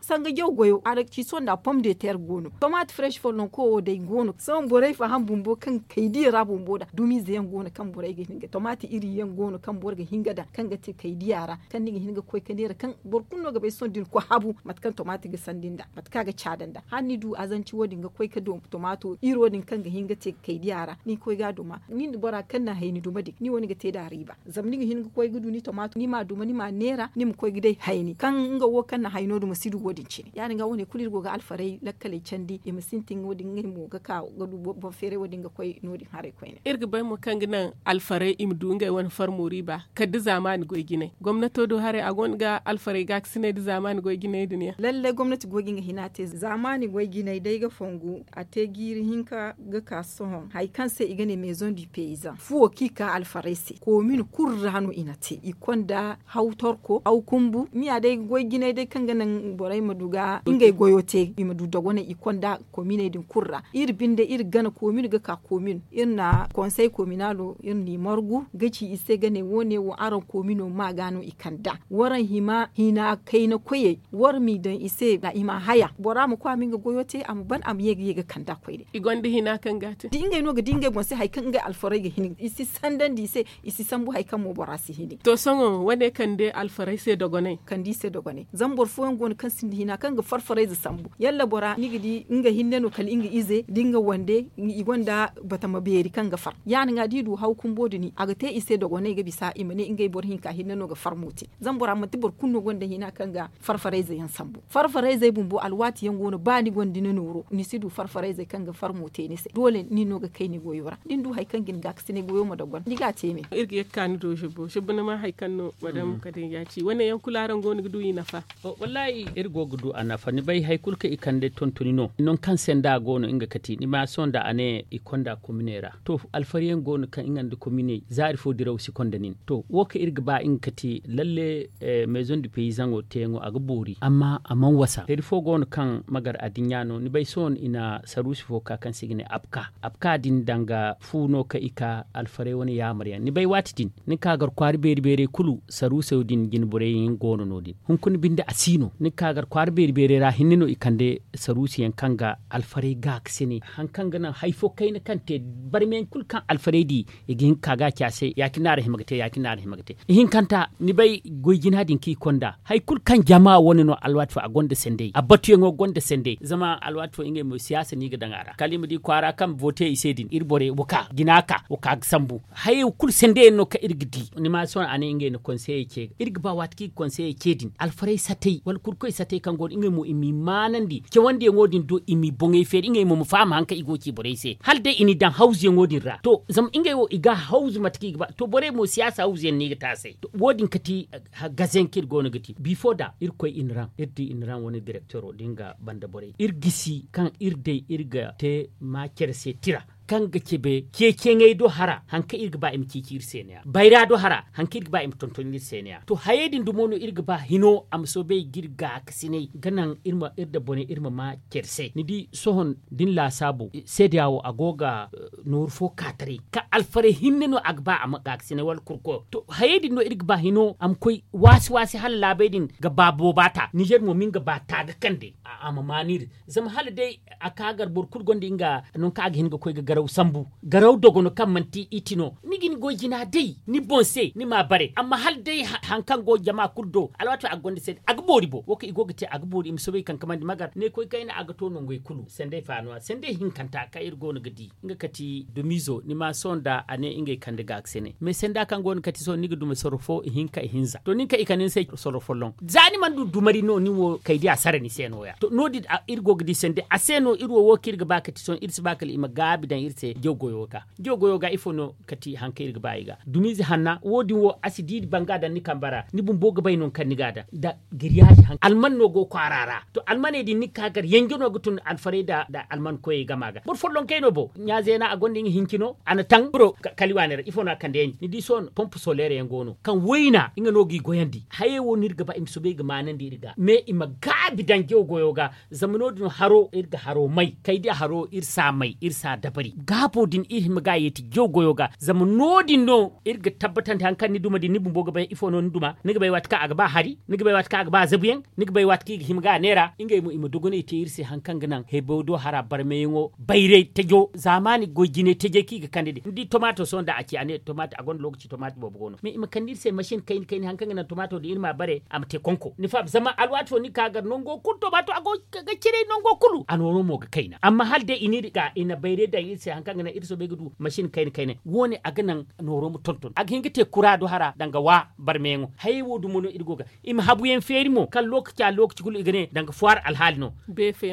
sanga jaw goyo a na ci sohõ nda pom de ter go no tomaati fresh folloŋ ko wo day go no sohõ borey faham bumbo kaŋ kaydiya ra bumbo da dumiize yaŋ go no kaŋ borey ga hin ga tomaati iri yaŋ go no kaŋ boro ga hin ga daŋ kaŋ ga te kaydiya ra kaŋ ni ga hin ga koy ka neera kaŋ boro kulu no ga bay sohõ da ni koy habu mate kaŋ tomaati ga sandi nda mate kaŋ a ga caada nda hala ni du azanci wo- din ga koy ka du tomaato iri wo- din kaŋ ga hin ga te kaydiya ra ni koy ga a duma ni nda bora kaŋ na hayni duma din ni wo ni ga te nd'a riiba zama ni ga hin ga koy ga du ni tomaato ni m'a duma ni m'a neera ni ma koy ga day hayni kaŋ nga wo kaŋ na hayno duma si du wo- din cine ya- din ga wo- ne kulu iri go ga alfarey lakkaley candi i ma sintin wo- din ngey mo ga ka ga du boŋ feeray wo- din ga koy no- din haray koyne iri ga bay mo kaŋ ga naŋ alfarey i ma du ngey wane farmo riiba kala da zaamaani goy jinay gomnato do haray a gonda ga alfarey gaakasinay da zaamaani goy jinay din yaŋ lallay gomnati go ga nga hina te zaamaani goy jinay day ga fongu a te jiiri hinka ga ka sohõ hari kaŋ se i ga ne maison du paysan fuwo kaŋ i ka alfarey se komin kulu ra no i na te i konda haw torko haw kumbu miya day goy jinay day kaŋ ga naŋ borey ma du ga ngey goyo te i ma du dogonay i konda kominey din kulu ra iri binde iri gana komin ga ka komin iri na konsey kominalo iri n'i margu ga ci i se ga ne wo- ne wo araŋ komino ma ga no i kand'a waraŋ hima hina kayna koyey war m'i daŋ i se da i m'a haya bora ma koy a ma nga goyo te a ma ban a ma ye ga ye ga kand'a koyne i gonda hina kaŋ ga a te da ngey no ga di ngey boŋ se hari kaŋ ngey alfarey ga hin i si sandandi i se i si sambu hari kaŋ mo bora si hini to sohõ wane kande alfarey se dogonay kande i se dogonay zama boro fooyaŋ go no kaŋ sinda hina kaŋ ga farfarayze sambu yalla bora ni ga di nga hinne no kala nga ize da nga wande i gonda batama beeri kaŋ ga far ya- din ga da i du haw kumbo din a ga te i se dogonay ga bisa i ma ne ngey boro hinka hinne no ga farmo te zama bora manti boro kulu no gonda hina kaŋ ga farfarayze yaŋ sambu farfarayzey bumbo alwaati yaŋ go no ba ni gonda ni nooro ni si du farfarayzey kaŋ ga farmo te ni se doole ni no ga kay ni goyo ra da ni du hari kaŋ ga ni gaakasinay goyo ma doggon ni ga a te me iri ga ye ga ka ni do zibbo zibbo ni ma hari kaŋ no madam kadiija ci wane yaŋ kulu araŋ go no ga du i nafa wallaahi iri go ga du a nafa ni bay hari kulu kaŋ i kande tontoni no nangu kaŋ se nda a go no nga kati ni ma sohõ nda a ne i konda kominey ra to alfariyaŋ go no kaŋ nga nda kominey zaari fo diraw si konda nin to wo kaŋ iri ga ba nga kati lalle maison du paysan wo teeyaŋo a ga boori amma a mana wasa hari fo go no kaŋ magar addiɲɲa no ni bay sohõ i na saruusi fo ka kaŋ se i ga ne apka apka din danga fu no kaŋ i ka alfarey wane yaamar yaŋ ni bay waati din Ni ka gar kwaara beeri beerey kulu saruuso din jine borey yaŋ go no no- din. Hunkuna binde a si no ni ka gar kwaara beeri beerey ra hinne no i kande saruuso yaŋ kaŋ ga alfarey gaakasine hari kaŋ ga naŋ hari fo kayna kaŋ te barmeyaŋ kulu kaŋ alfarey di, i ga hin ka ga a ci a se ya- cine no a ra hima ga te ya- cine no a ra hima ga te. Ihinkanta ni bay goy jina din kaŋ i konda hari kulu kaŋ jama wane no alwaati fo a gonda sendey a batuyaŋo gonda sendey zama alwaati fo ngey mo siyaasa no i ga daŋ a ra kala i ma di kwaara kaŋ boote i se din iri borey wa ka jina ka wa ka ga sambu. Hayey kulu sendey yaŋ no kaŋ iri ga di ni ma sohõ a ne ngey na konseyey ce iri ga ba waati kaŋ i ga konseyey ce din alfarey satey wala kurkoy satey kaŋ go no ngey mo i m'i maanandi cewandiyaŋo din do i m'i boŋey feeri ngey mo ma faham hari kaŋ i go ga ci borey se hala day i n'i daŋ hawzuyaŋo din ra to zama ngey wo i ga hawzu mate kaŋ i ga ba to borey mo siyaasa hawzuyaŋ no i ga te a se. Wo- din kati gazayaŋ kaŋ iri go no ga di bifo da irkoy iniraŋ iri di iniraŋ wane direktoro da nga banda borey iri gisi kaŋ iri day iri ga te ma care se tira kaŋ ga cabe ceeciyaŋey do hara hari kaŋ iri ga ba i ma ceeci iri se no- ya bayra do hara hari kaŋ iri ga ba i ma tonton iri se no- ya to hayey din dumo no iri ga ba hino a ma soobay ga iri gaakasinay ga naŋ iri ma iri da bone iri ma ma care se ni di sohõ da ni laasaabu seedeya wo a go ga nooru fo ka taray kaŋ alfarey hinne no a ga ba a ma gaakasinay wala kurko to hayey din no iri ga ba hino a ma koy waasi waasi hala laabey din ga ba booba ta nizer mo ma nga ba ta ga kande a ma maan iri zama hala day a ka gar boro kulu gonda nga nangu kaŋ a ga hin ga koy ga garaw sambu garaw dogono kaŋ manti iti no ni ga ni goy jina day ni boŋ se ni m'a bare amma hala day hari kaŋ go jama kulu do alwaati a ga gonda se a ga boori bo wo kaŋ i go ga te a ga boori i ma soobay kankamandi ma gar ne koy kayna a ga to nangey kulu sendey faano a sendey hinkanta kaŋ iri go no ga di nga kati dumiizo ni ma sohõ nda a ne ngey kande gaakasine mais senda kaŋ go no kati sohõ ni ga duma soro fo ihinka ihinza to nin kaŋ i kande ni se soro folloŋ za ni mana du dumari no ni wo kay di a sara ni se no- ya to no- din iri go ga di sende a se no iri wo wo kaŋ iri ga ba kati sohõ iri si ba kala i ma gaabi daŋ iri se jaw goyo ga jaw goyo ga ifo no kati hari kaŋ iri ga ba i ga dumiize hanna wo- din wo a si di banga daŋ ni kamba ra ni bumbo ga bay no kaŋ ni ga a daŋ da giriyaazi hanka alman no go kwaara ra to almaney din ni ga ka gar yanjo no ga tun alfarey nda alman koyey gama ga boro follonkey no bo ɲa zeena a gonda nga hinci no a na taŋ boro kali waani ra ifo no a kande yaŋ ni di sohõ pompe soleere yaŋ go no kaŋ wayna nga no g'i goyandi hayey wo no iri ga ba i ma soobay ga maanandi iri ga mais i ma gaabi daŋ jaw goyo ga zama no- din haro iri ga haro may kay di haro iri s'a may iri s'a dabari gaabo din iri hima ga a yeeti jaw goyo ga zama no- din no iri ga tabbatandi hari kaŋ ni duma din ni bumbo ga bay ifo no ni duma ni ga bay waati kaŋ a ga ba hari ni ga bay waati kaŋ a ga ba zabuyaŋ ni ga bay waati kaŋ i ga hima ga a neera ngey mo i ma dogonay te iri se hari kaŋ ga naŋ heebaw do hara barmeyaŋo bayray tajo zaamaani goy jine tajey kaŋ i ga kande din ni di tomaato sohõ nda a ci a ne tomaato a gonda lookaci tomaato boobo go no mais i ma kande iri se masin kayna kayna hari kaŋ ga naŋ tomaato din iri m'a bare a ma te konko ni faham zama alwaati fo ni ga ka gar nango kulu tomaato a go ga ciray nango kulu a nooro mo ga kayna amma hala day i n'iri ga i na bayray daŋ iri se hari kaŋ ga naŋ iri soobay ga du masin kayna kayna wo- ne a ga naŋ nooro ma tonton a ga hin ga te kura do hara danga wa barmeyaŋo hayey wo dumo no iri go ga i ma habuyaŋ feeri mo kaŋ lookaci a lookaci kulu i ga ne danga fuwaar alhaali no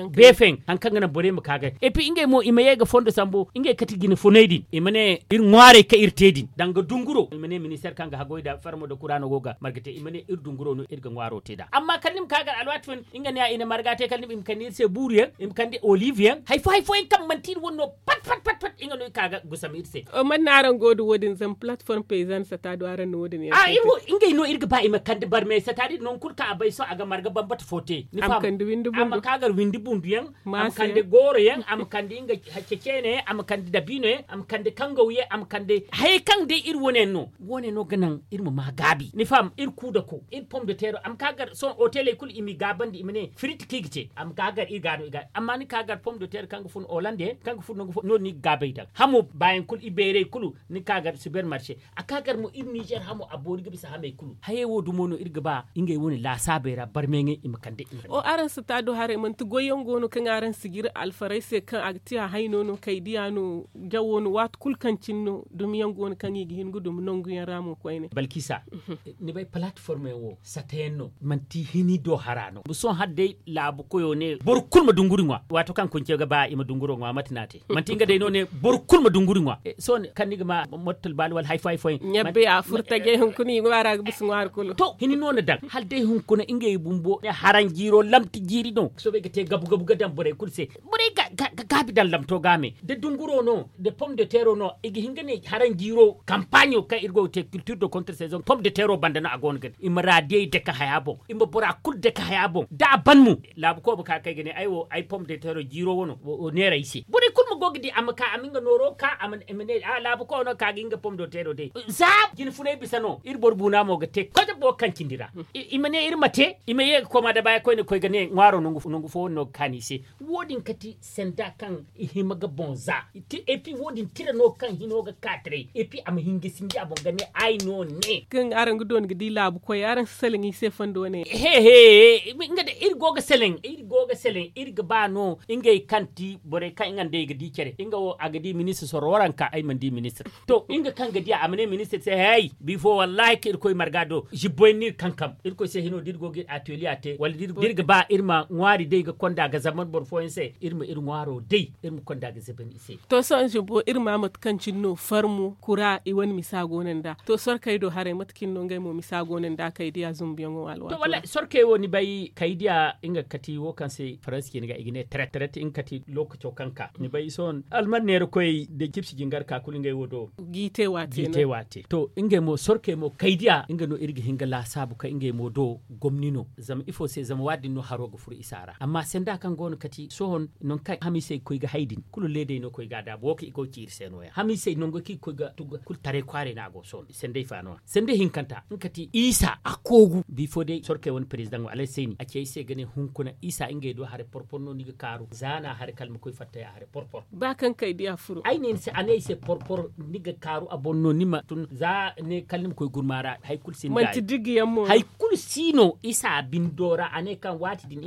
beefeyaŋ hari kaŋ ga naŋ borey ma ka ga et puis ngey mo i ma ye ga fondo sambu ngey kati jine funay din i ma ne iri ŋwaarey kaŋ iri te din danga dunguro i ma ne ministeer kaŋ ga hagoy nda farmo nda kura no go ga marga te i ma ne iri dunguro no iri ga ŋwaaro te nd'a amma kala ni ma ka gar alwaati fo nga ne ya i na marga te kala ni ma i ma kande iri se buuru yaŋ i ma kande oliiv yaŋ hari fo hari fo yaŋ kaŋ manti iri wane no pat pat pat pat nga no i ka ga gusam iri se. Manna araŋ go nda wo- din zama plateforme payzanne sata do araŋ na wo- din yaŋ a iri wo ngey no iri ga ba i ma kande barmey sata din nangu kulu kaŋ a bay sohõ a ga marga bambata fo te ni faham a ma ka gar windi bundu yaŋ a ma kande gooro yaŋ a ma kande nga ceceene yaŋ a ma kande dabiino yaŋ a ma kande kangaw yaŋ a ma kande hayey kaŋ day iri wane yaŋ no wo- ne no ga naŋ iri ma ma gaabi ni faham iri kuu dako iri pom de teero a ma ka gar sohõ oteley kulu i m'i gaabandi i ma ne firit kaŋ i ga ce a ma ka gar iri ga no i ga amma ni ka gar pom de teero kaŋ ga fun olande kaŋ ga fun nangu fo no- din ni ga gaabay daŋ hamo baayaŋ kulu i beerey kulu ni ka gar siber marse a ka gar mo iri nizer hamo a boori ga bisa hamey kulu hayey wo dumo no iri ga ba ngey wane laasaabey ra barmeyaŋey i ma kande iri. O araŋ si ta do haray manti goyyaŋ go no kaŋ araŋ si jiri alfarey se kaŋ a ga ti a hayno no kay diya no jawo no waati kulu kaŋ cine no dumiyaŋ go no kaŋ i ga hin ga dumi nanguyaŋ ra mo koyne balkisa ni bay palateforme yaŋ wo sata yaŋ no manti hini do hara no sohõ hala day laabu koyo ne boro kulu ma dunguri ŋwa waato kaŋ kunce ga ba i ma dunguro ŋwa mate no a te manti nga day no ne boro kulu ma dunguri ŋwa sohõ kaŋ ni ga ma mottal baali wala hari fo hari fo yaŋ ɲabbe a furtajey hunkuna i ŋwaara ga bisa ŋwaari kulu to hini no na daŋ hala day hunkuna ngey bumbo ne haraŋ jiiro lamti jiiri no soobay ga te gabu gabu ga daŋ borey kulu se borey ga gaabi daŋ lamto ga me da dunguro no da pom de teero no i ga hin ga ne haraŋ jiiro kampaaɲo kaŋ iri go ga te kiltir de kontre saison pom de teero banda no a go no ga ne i ma raadiyey dake haya boŋ i ma bora kulu dake haya boŋ da a ban mo laabu koobo ka kay ga ne ay wo ay pom de teero jiiro wano wo neera ay se borey kulu ma go ga di a ma ka a ma nga nooro ka a ma ne a laabu koobo no ka ga nga pom do teero day za jine funay bisa no iri boro buuna mo ga te kote bo kaŋ cindi ra i ma ne iri ma te i ma ye ga kooma da baya koyne koy ga ne ŋwaaro nangu fo wano no ga kaani i se wo- din kati sanda kaŋ i hima ga boŋ za epi wo- din tira no kaŋ hino ga ka taray epi a ma hin ga sinji a boŋ ga ne ay no ne kaŋ araŋ ga doona ga di laabu koy araŋ si salaŋ i se fondo ne he he nga da iri go ga salaŋ iri go ga salaŋ iri ga ba no ngey kaŋ ti borey kaŋ nga nd'ey ga di care nga wo a ga di ministir sorro waranka ay mana di ministir to nga kaŋ ga di a a ma ne ministir se hey bifo wallahi ka iri koy marga do zibboy no iri kankam iri koy se hino da iri go ga iri ateliya te wala da iri ga ba iri ma ŋwaari day ga konda ga zaman boro fooyaŋ se iri ma iri ŋwaaro day iri ma konda ga zaban i se to sohõ zibbo iri ma mate kaŋ cine no farmo kura i wane misa go no nd'a to sorkey do haray mate cine no ngey mo misa go no nd'a kay diya zumbuyaŋo alwaati to wala sorkey wo ni bay kay diya nga kati wo kaŋ se faransi cine ga i ga ne tret tret nga kati lookaco kaŋ ka ni bay sohõ alman neera koy da cipsi jingar ka kulu ngey wo do gi te waate to ngey mo sorkey mo kay diya nga no iri ga hin ga laasaabu kay ngey mo do gomni no zama ifo se zama waadin no haro ga furo isa ra amma sanda kaŋ go no kati sohõ nangu kaŋ hamiisey ga koy ga hay din kulu leedey no koy ga a daabu wo kaŋ i go ga ci iri se no- ya hamiisey nangu kaŋ i ga koy ga tugga kulu taray kwaaray no a go sohõ sandey fa no- ya sandey hinkanta nga kati isa a koogu bifo day sorkey wane perezidaŋo alay sayni a ci ay se ga ne hunkuna isa ngey do haray porpor no ni ga kaaru za no a haray kala ma koy fatta ya haray porpor ba kaŋ kay diya furo ay ne ni se a ne ay se porpor ni ga kaaru a boŋ no ni ma tun za ne kala ni ma koy gurma ra hari kulu si ni ga hari kulu si no isa bindo ra a ne kaŋ waati din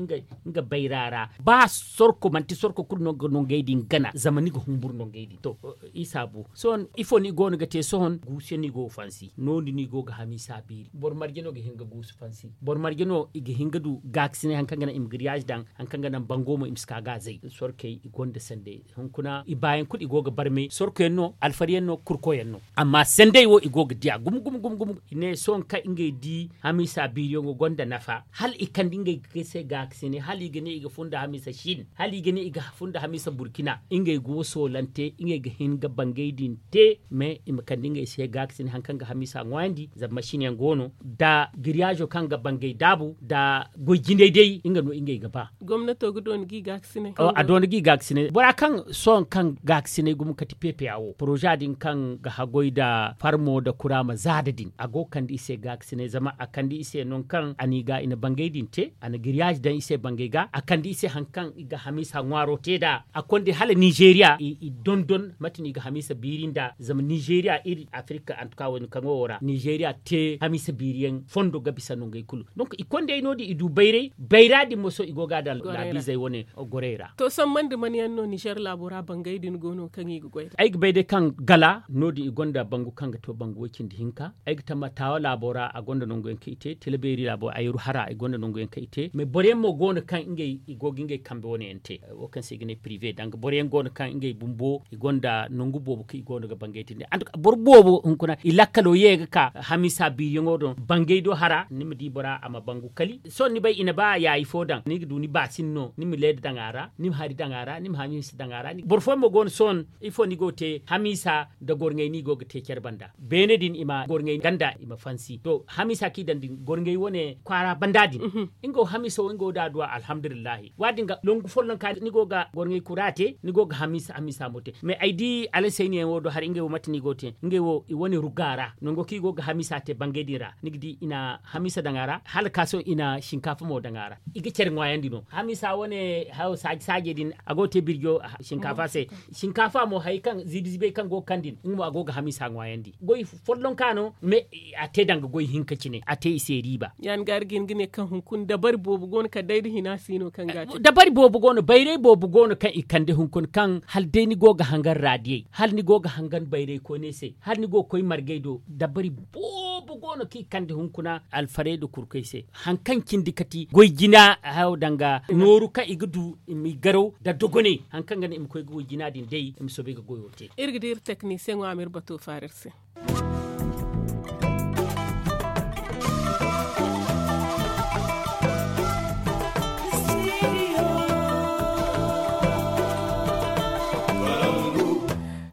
nga bayra ra ba sorko manti sorko kulu no ga nongey din gana zama ni ga humburu nongey din to isa bu sohõ ifo no i go no ga te sohõ guusu yaŋ no i go ga fansi no- din no i go ga hamiisa beeri boro marje no ga hin ga guusu fansi boro marje no i ga hin ga du gaakasinay hari kaŋ ga naŋ i ma giriyaazi daŋ hari kaŋ ga naŋ bango mo i ma si ka ga a zay sorkey i gonda sandey hunkuna i baayaŋ kulu i go ga barmay sorko yaŋ no alfari yaŋ no kurko yaŋ no amma sandey wo i go ga diya gumo gumo gumo gumo i ne sohõ kaŋ ngey di hamiisa biiriyaŋo gonda nafa hala i kande ngey se gaakasinay hala i ga ne i ga funda hamiisa shin hala i ga ne i ga funda hamiisa burkina ngey go soolante ngey ga hin ga bangey din te mais i ma kande ngey se gaakasinay hari kaŋ ga hamiisa ŋwaayandi zama masin yaŋ go no da giriyaazo kaŋ ga bangey daabu da goy jinay day nga no ngey ga ba gomnato ga doona gi gaakasinay a doona gi gaakasinay bora kaŋ sohõ kaŋ gaakasinay gumo kati peepeya wo poroza din kaŋ ga haggoy nda farmo nda kuraama zaada din a go ga kande i se gaakasinay zama a kande i se nangu kaŋ a n'i ga i na bangey din te a na giriyaazi daŋ i se bangey ga a kande i se hari kaŋ i ga hamiisa ŋwaaro te nd'a a konda hala nizeeriya i dondon mate no i ga hamiisa biiri nd'a zama nizeeriya iri afirika antuka wo- din kaŋo wo ra nizeeriya te hamiisa biiriyaŋ fondo ga bisa nongey kulu donk i kondey no- din i du bayray bayra din mo sohõ i go ga a daŋ laabiizey wane gorey ra to samman nda man yaŋ no nizer laabo ra bangey din go no kaŋ i ga goy nd'a ay ga bay day kaŋ gala no- din i gonda bangu kaŋ ga to bangu way- cindi hinka ay ga tamma taawa laabo ra a gonda nangu yaŋ kaŋ i te tila beeri laabo ayru hara i gonda nangu yaŋ kaŋ i te mais boro yaŋ mo go no kaŋ ngey i go ga ngey kambe wane yaŋ te wo kaŋ se i ga ne pirive danga boro yaŋ go no kaŋ ngey bumbo i gonda nangu boobo kaŋ i go no ga bangey te nd'a boro boobo hunkuna i lakkalo ye ga ka hamiisa biiriyaŋo do bangey do hara ni ma di bora a ma bangu kali sohõ ni bay i na ba yaayi fo daŋ ni ga du ni baasin no ni ma leeda daŋ a ra ni ma hari daŋ a ra ni ma hamiisa daŋ a ra boro fooyaŋ mo go no sohõ ifo ni go ga te hamiisa nda gorŋey no i go ga te care banda beene din i ma gorŋey ganda i ma fansi to hamiisa kaŋ i daŋ din gorŋey wane kwaara banda din nga wo hamiisa wo nga wo da a duwa alhamdulillahi waadin ga longu folloŋ ka ni go ga gorŋey kura te ni go ga hamiisa hamiisa mo te mais ay di alasayni yaŋ wo do hari ngey wo mate no i go ga te ngey wo i wane ruga ra nango kaŋ i go ga hamiisa te bangey din ra ni ga di i na hamiisa daŋ a ra hala ka sohõ i na sinkaafa mo daŋ a ra i ga care ŋwaayandi no hamiisa wane hayo saaji saajey din a go ga te birjo sinkaafa se sinkaafa mo hari kaŋ ziibi ziibey kaŋ go ga kande din nga mo a go ga hamiisa ŋwaayandi goy follonka no mais a te danga goy hinka cine a te i se riiba ya- din ga iri ga hin ga ne kaŋ hunkuna dabari boobo go no kala day da hina si no kaŋ ga a te dabari boobo go no bayray boobo go no kaŋ i kande hunkuna kaŋ hala day ni go ga hangan raadiyey hala ni go ga hangan bayray koyney se hala ni go ga koy margey do dabari boobo go no kaŋ i kande hunkuna alfarey nda kurkey se hari kaŋ cindi kati goy jina hayo danga nooru kaŋ i ga du i ma i garaw nda dogoney hari kaŋ ga naŋ i ma koy ga goy jina din day i ma soobay ga goyo te iri ga di iri teknisiyeŋo a ma iri bato faara iri se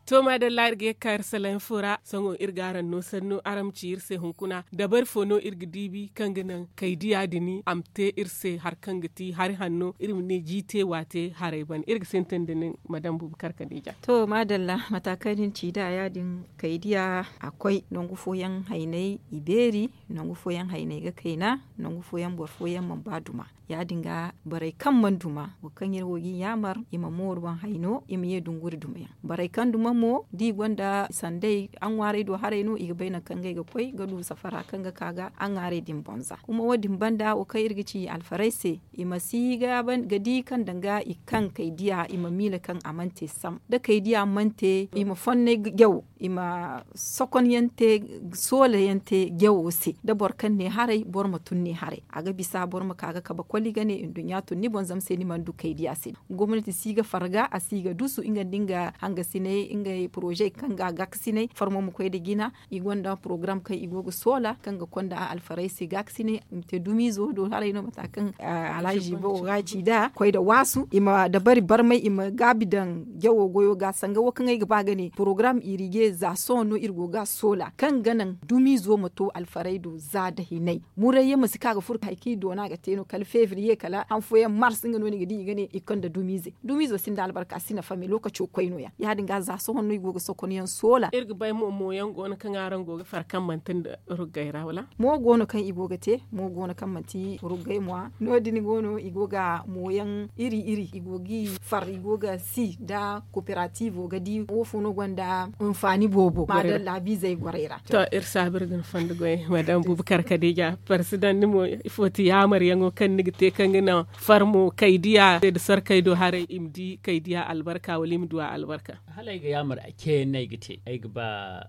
To maadalla iri ga ye ga ka iri salaŋ fo ra sohõ iri ga araŋ no sannu araŋ ma ci iri se hunkuna dabari fo no iri ga diibi kaŋ ga naŋ kaydiya din a ma te iri se hari kaŋ ga ti hari hanno iri ma ne jiite waate haray ban iri ga sintin da nin madam buubu karkadija. To maadalla mata kaŋ ni na ci nd'a ya- din kaydiya a koy nangu fooyaŋ haynay i beeri nangu fooyaŋ haynay ga kayna nangu fooyaŋ boro fooyaŋ mana ba duma. Ya- din ga borey kaŋ mana duma boro kaŋ iri wo ga i yaamar i ma mooru boŋ hayno i ma ye dunguri dumayaŋ borey kaŋ duma mo da i gonda sanday aŋwaarey do haray no i ga bay nangu kaŋ ngey ga koy ga du safara kaŋ ga ka ga aŋwaarey din bonza kuma wo- din banda wo kaŋ iri ga ci alfaray se i ma si ga di kaŋ danga i kaŋ kay diya i ma miila kaŋ a mana te sam da kay diya mana te i ma fonnay jawo i ma sokon yaŋ te soola yaŋ te jawo se da boro kaŋ ne haray boro ma tun ne haray a ga bisa boro ma ka ga kabe koli ga ne nduɲɲa tun ni boŋ zama se ni mana du kay diya se gomnati si ga farga a si ga dusu nga nda nga hangasinay ngey poroze kaŋ ga gaakasinay farmo ma koy nda jina i gonda porogaram kaŋ i go ga soola kaŋ ga konda alfaray se gaakasinay i ma te dumiizo do haray no mata kaŋ alhaziba wo ga ci nd'a koy nda waasu i ma dabari barmay i ma gaabi daŋ jawo goyo ga sanga wo kaŋ ay ga ba ga ne porogaram irije za sohõ no iri go ga a soola kaŋ ga naŋ dumiizo ma to alfaray do za nda hinay muray yaŋ ma si ka ga furo hari kaŋ i doona ga te no kala febriye kala han fooyaŋ mars nga no ni ga di i ga ne i konda dumiize dumiizo sinda albarka a si nafa me lookaco koy no- ya ya- din ga za sohõ no i go ga sokon yaŋ soola iri ga bay mo mo yaŋ go no kaŋ araŋ go ga far kaŋ manti nda ruggay ra wala mo go no kaŋ i go ga te mo go no kaŋ manti ruggay mo no- din go no i go ga mo yaŋ iri iri i go ga i far i go ga si nda koperativo ga di wo fo no gonda hinfaani boobo maadalla biizey gorey ra to iri saabu iri ga ni fondo goy madam buubu karkadija parsidan ni mo ifo ti yaamar yaŋo kaŋ ni ga te kaŋ ga naŋ farmo kay diya nda sorkey do haray i ma di kay diya albarka wala i ma du a albarka hala ay ga yaamar ceeyaŋ no ay ga te ay ga ba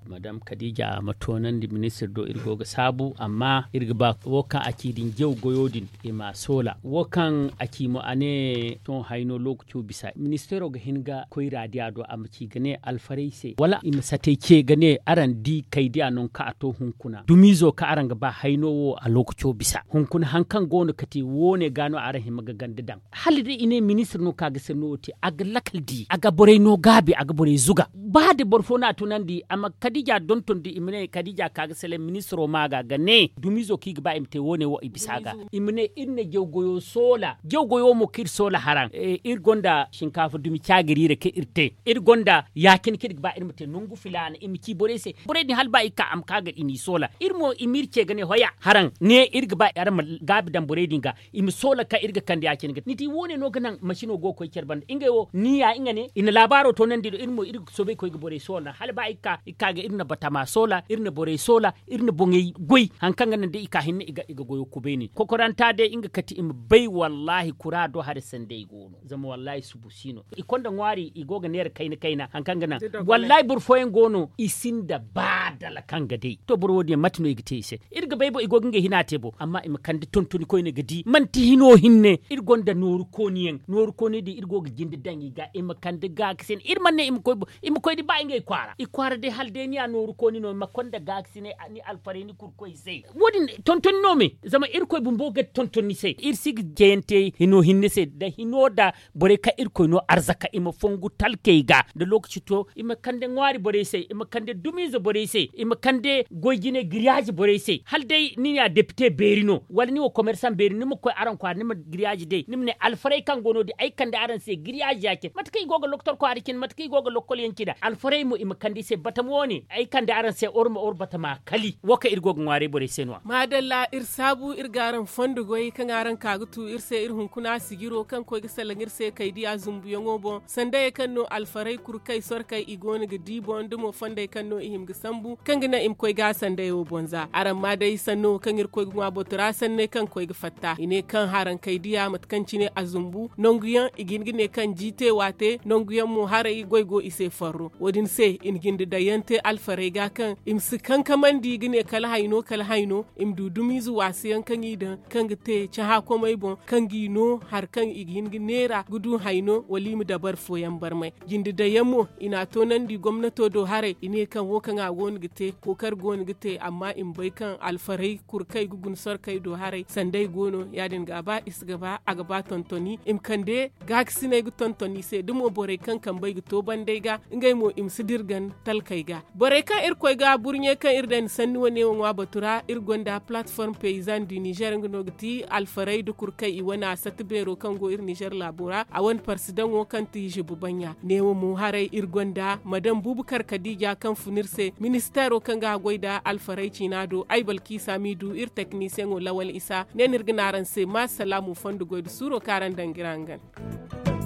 madam kadija ma toonandi ministir do iri go ga saabu amma iri ga ba wo kaŋ a ci din jaw goyo din i ma a soola wo kaŋ a ci mo a ne sohõ hayno lookaco bisa ministeero ga hin ga koy raadiya do a ma ci ga ne alfarey se wala i ma satey ce ga ne araŋ di kaydiya no kaŋ a to hunkuna dumiizo kaŋ araŋ ga ba hayno wo a lookaco bisa hunkuna hari kaŋ go no ga te wo- ne ga no araŋ hima ga ganda daŋ hala day i ne ministir no kaŋ a ga sanno wo te a ga lakal di a ga borey no gaabi a ga borey zuga ba da boro fo no a tunandi a ma kadija donton da i ma ne kadija ka ga salaŋ ministiro ma ga ga ne dumiizo kaŋ i ga ba i ma te wo- ne wo i bisa ga i ma ne iri na jaw goyo soola jaw goyo mo kaŋ iri soola haraŋ iri gonda sinkaafa dumi caagiriira kaŋ iri te iri gonda ya- cine kaŋ iri ga ba iri ma te nangu filaana i ma ci borey se borey din hala ba i ga ka a ma ka ga i n'i soola iri mo i ma iri ce ga ne hoya haraŋ ne iri ga ba araŋ ma gaabi daŋ borey din ga i ma soola kaŋ iri ga kande ya- cine ga te ni di wo- ne no ga naŋ masino go ga koy care banda ngey wo ni ya nga ne i na laabaaro toonandi do iri mo iri ga soobay koy ga borey soola hala ba i ga ka ga iri na batama soola iri na borey soola iri na boŋey goy hari kaŋ ga naŋ day i ka hinne i ga goyo kubay ne kokoranta day nga kati i ma bay wallaahi kura do hari sanday go no zama wallaahi subu si no i konda ŋwaari i go ga neera kayna kayna hari kaŋ ga naŋ wallaahi boro fooyaŋ go no i sinda ba dala kaŋ ga day to boro wo- din yaŋ mate no i ga te i se iri ga bay bo i go ga ngey hina te bo amma i ma kande tontoni koyne ga di manti hino hinne iri gonda nooru kooni yaŋ nooru kooni din iri go ga jinde daŋ i ga i ma kande gaakasi yaŋ iri mana ne i ma koy bo i ma koy da ba ngey kwaara i kwaara day hala day ni ya nooru kooni no ma konda gaakasi ne ni alfaray ni kurkoy se wo- din tontoni no me zama irkoy bumbo ga tonton ni se iri si ga ceyante hino hinne se da hino da borey kaŋ irkoy no arzaka i ma fongu talkey ga da lookaci to i ma kande ŋwaari borey se i ma kande dumiize borey se i ma kande goy jine giriyaazi borey se hala day ni ne a depite beeri no wala ni wo komersaŋ beeri ni ma koy araŋ kwaara ni ma giriyaazi day ni ma ne alfarey kaŋ go no- din ay kande araŋ se giriyaazi ya cine mate kaŋ i go ga loktor kwaara cine mate kaŋ i go ga lokkol yaŋ cine alfarey mo i ma kande i se batama wo- ne ay kande araŋ se or ma or batama kali wo kaŋ iri go ga ŋwaaray borey se no- ya maadalla iri saabu iri ga araŋ fondo goy kaŋ araŋ ka ga tu iri se iri hunkuna sijiro kaŋ koy ga salaŋ iri se kaydiya zumbuyaŋo boŋ sandayey kaŋ no alfarey kurkey sorkey i go no ga di boŋ da mo fondey kaŋ no i hima ga sambu kaŋ ga naŋ i ma koy ga sandayo boŋ za araŋ ma day sanno kaŋ iri koy ga ŋwa botora sanney kaŋ koy ga fatta i ne kaŋ haraŋ kaydiya mate kaŋ cine a zumbu nangu yaŋ i ga hin ga ne kaŋ jiite waate nangu yaŋ mo haray goy go i se farro wo- din se i na jinde daŋ yaŋ te alfarey ga kaŋ i ma si kankamandi ga ne kala hayno kala hayno i ma du dumiize waasi yaŋ kaŋ i daŋ kaŋ ga te cahã komey boŋ kaŋ g'i no hari kaŋ i ga hin ga neera ga du hayno wala i ma dabari fooyaŋ barmay jinde daŋ yaŋ mo i n'a toonandi gomnato do haray i ne kaŋ wo kaŋ a go no ga te kookari go no ga te amma i ma bay kaŋ alfarey kurkey ga guna sorkey do haray sanday go no ya- din ga a ba i si ga ba a ga ba tontoni i ma kande gaakasiney ga tonton i se da mo borey kaŋ kambey ga to bandey ga ngey mo i ma si dirgan talkey ga. Borey kaŋ irkoy ga burɲey kaŋ iri daŋ ni sanni wane wo ŋwa batu ra iri gonda platform paysan du nizer nga no ga ti alfarey da kurkey i wane a satti beero kaŋ go iri nizer laabo ra a wane parsidaŋo kaŋ ti zibu baɲɲa neewo mo haray iri gonda madam bubukar kadiija kaŋ fun iri se ministeero kaŋ ga a goy nda alfarey ciina do ay balkiisa m'i du iri teknisiyeŋo lawal isa ne no iri ga ne araŋ se ma salaamu fondo goy nda suuro kaŋ araŋ daŋ ga iri hangan.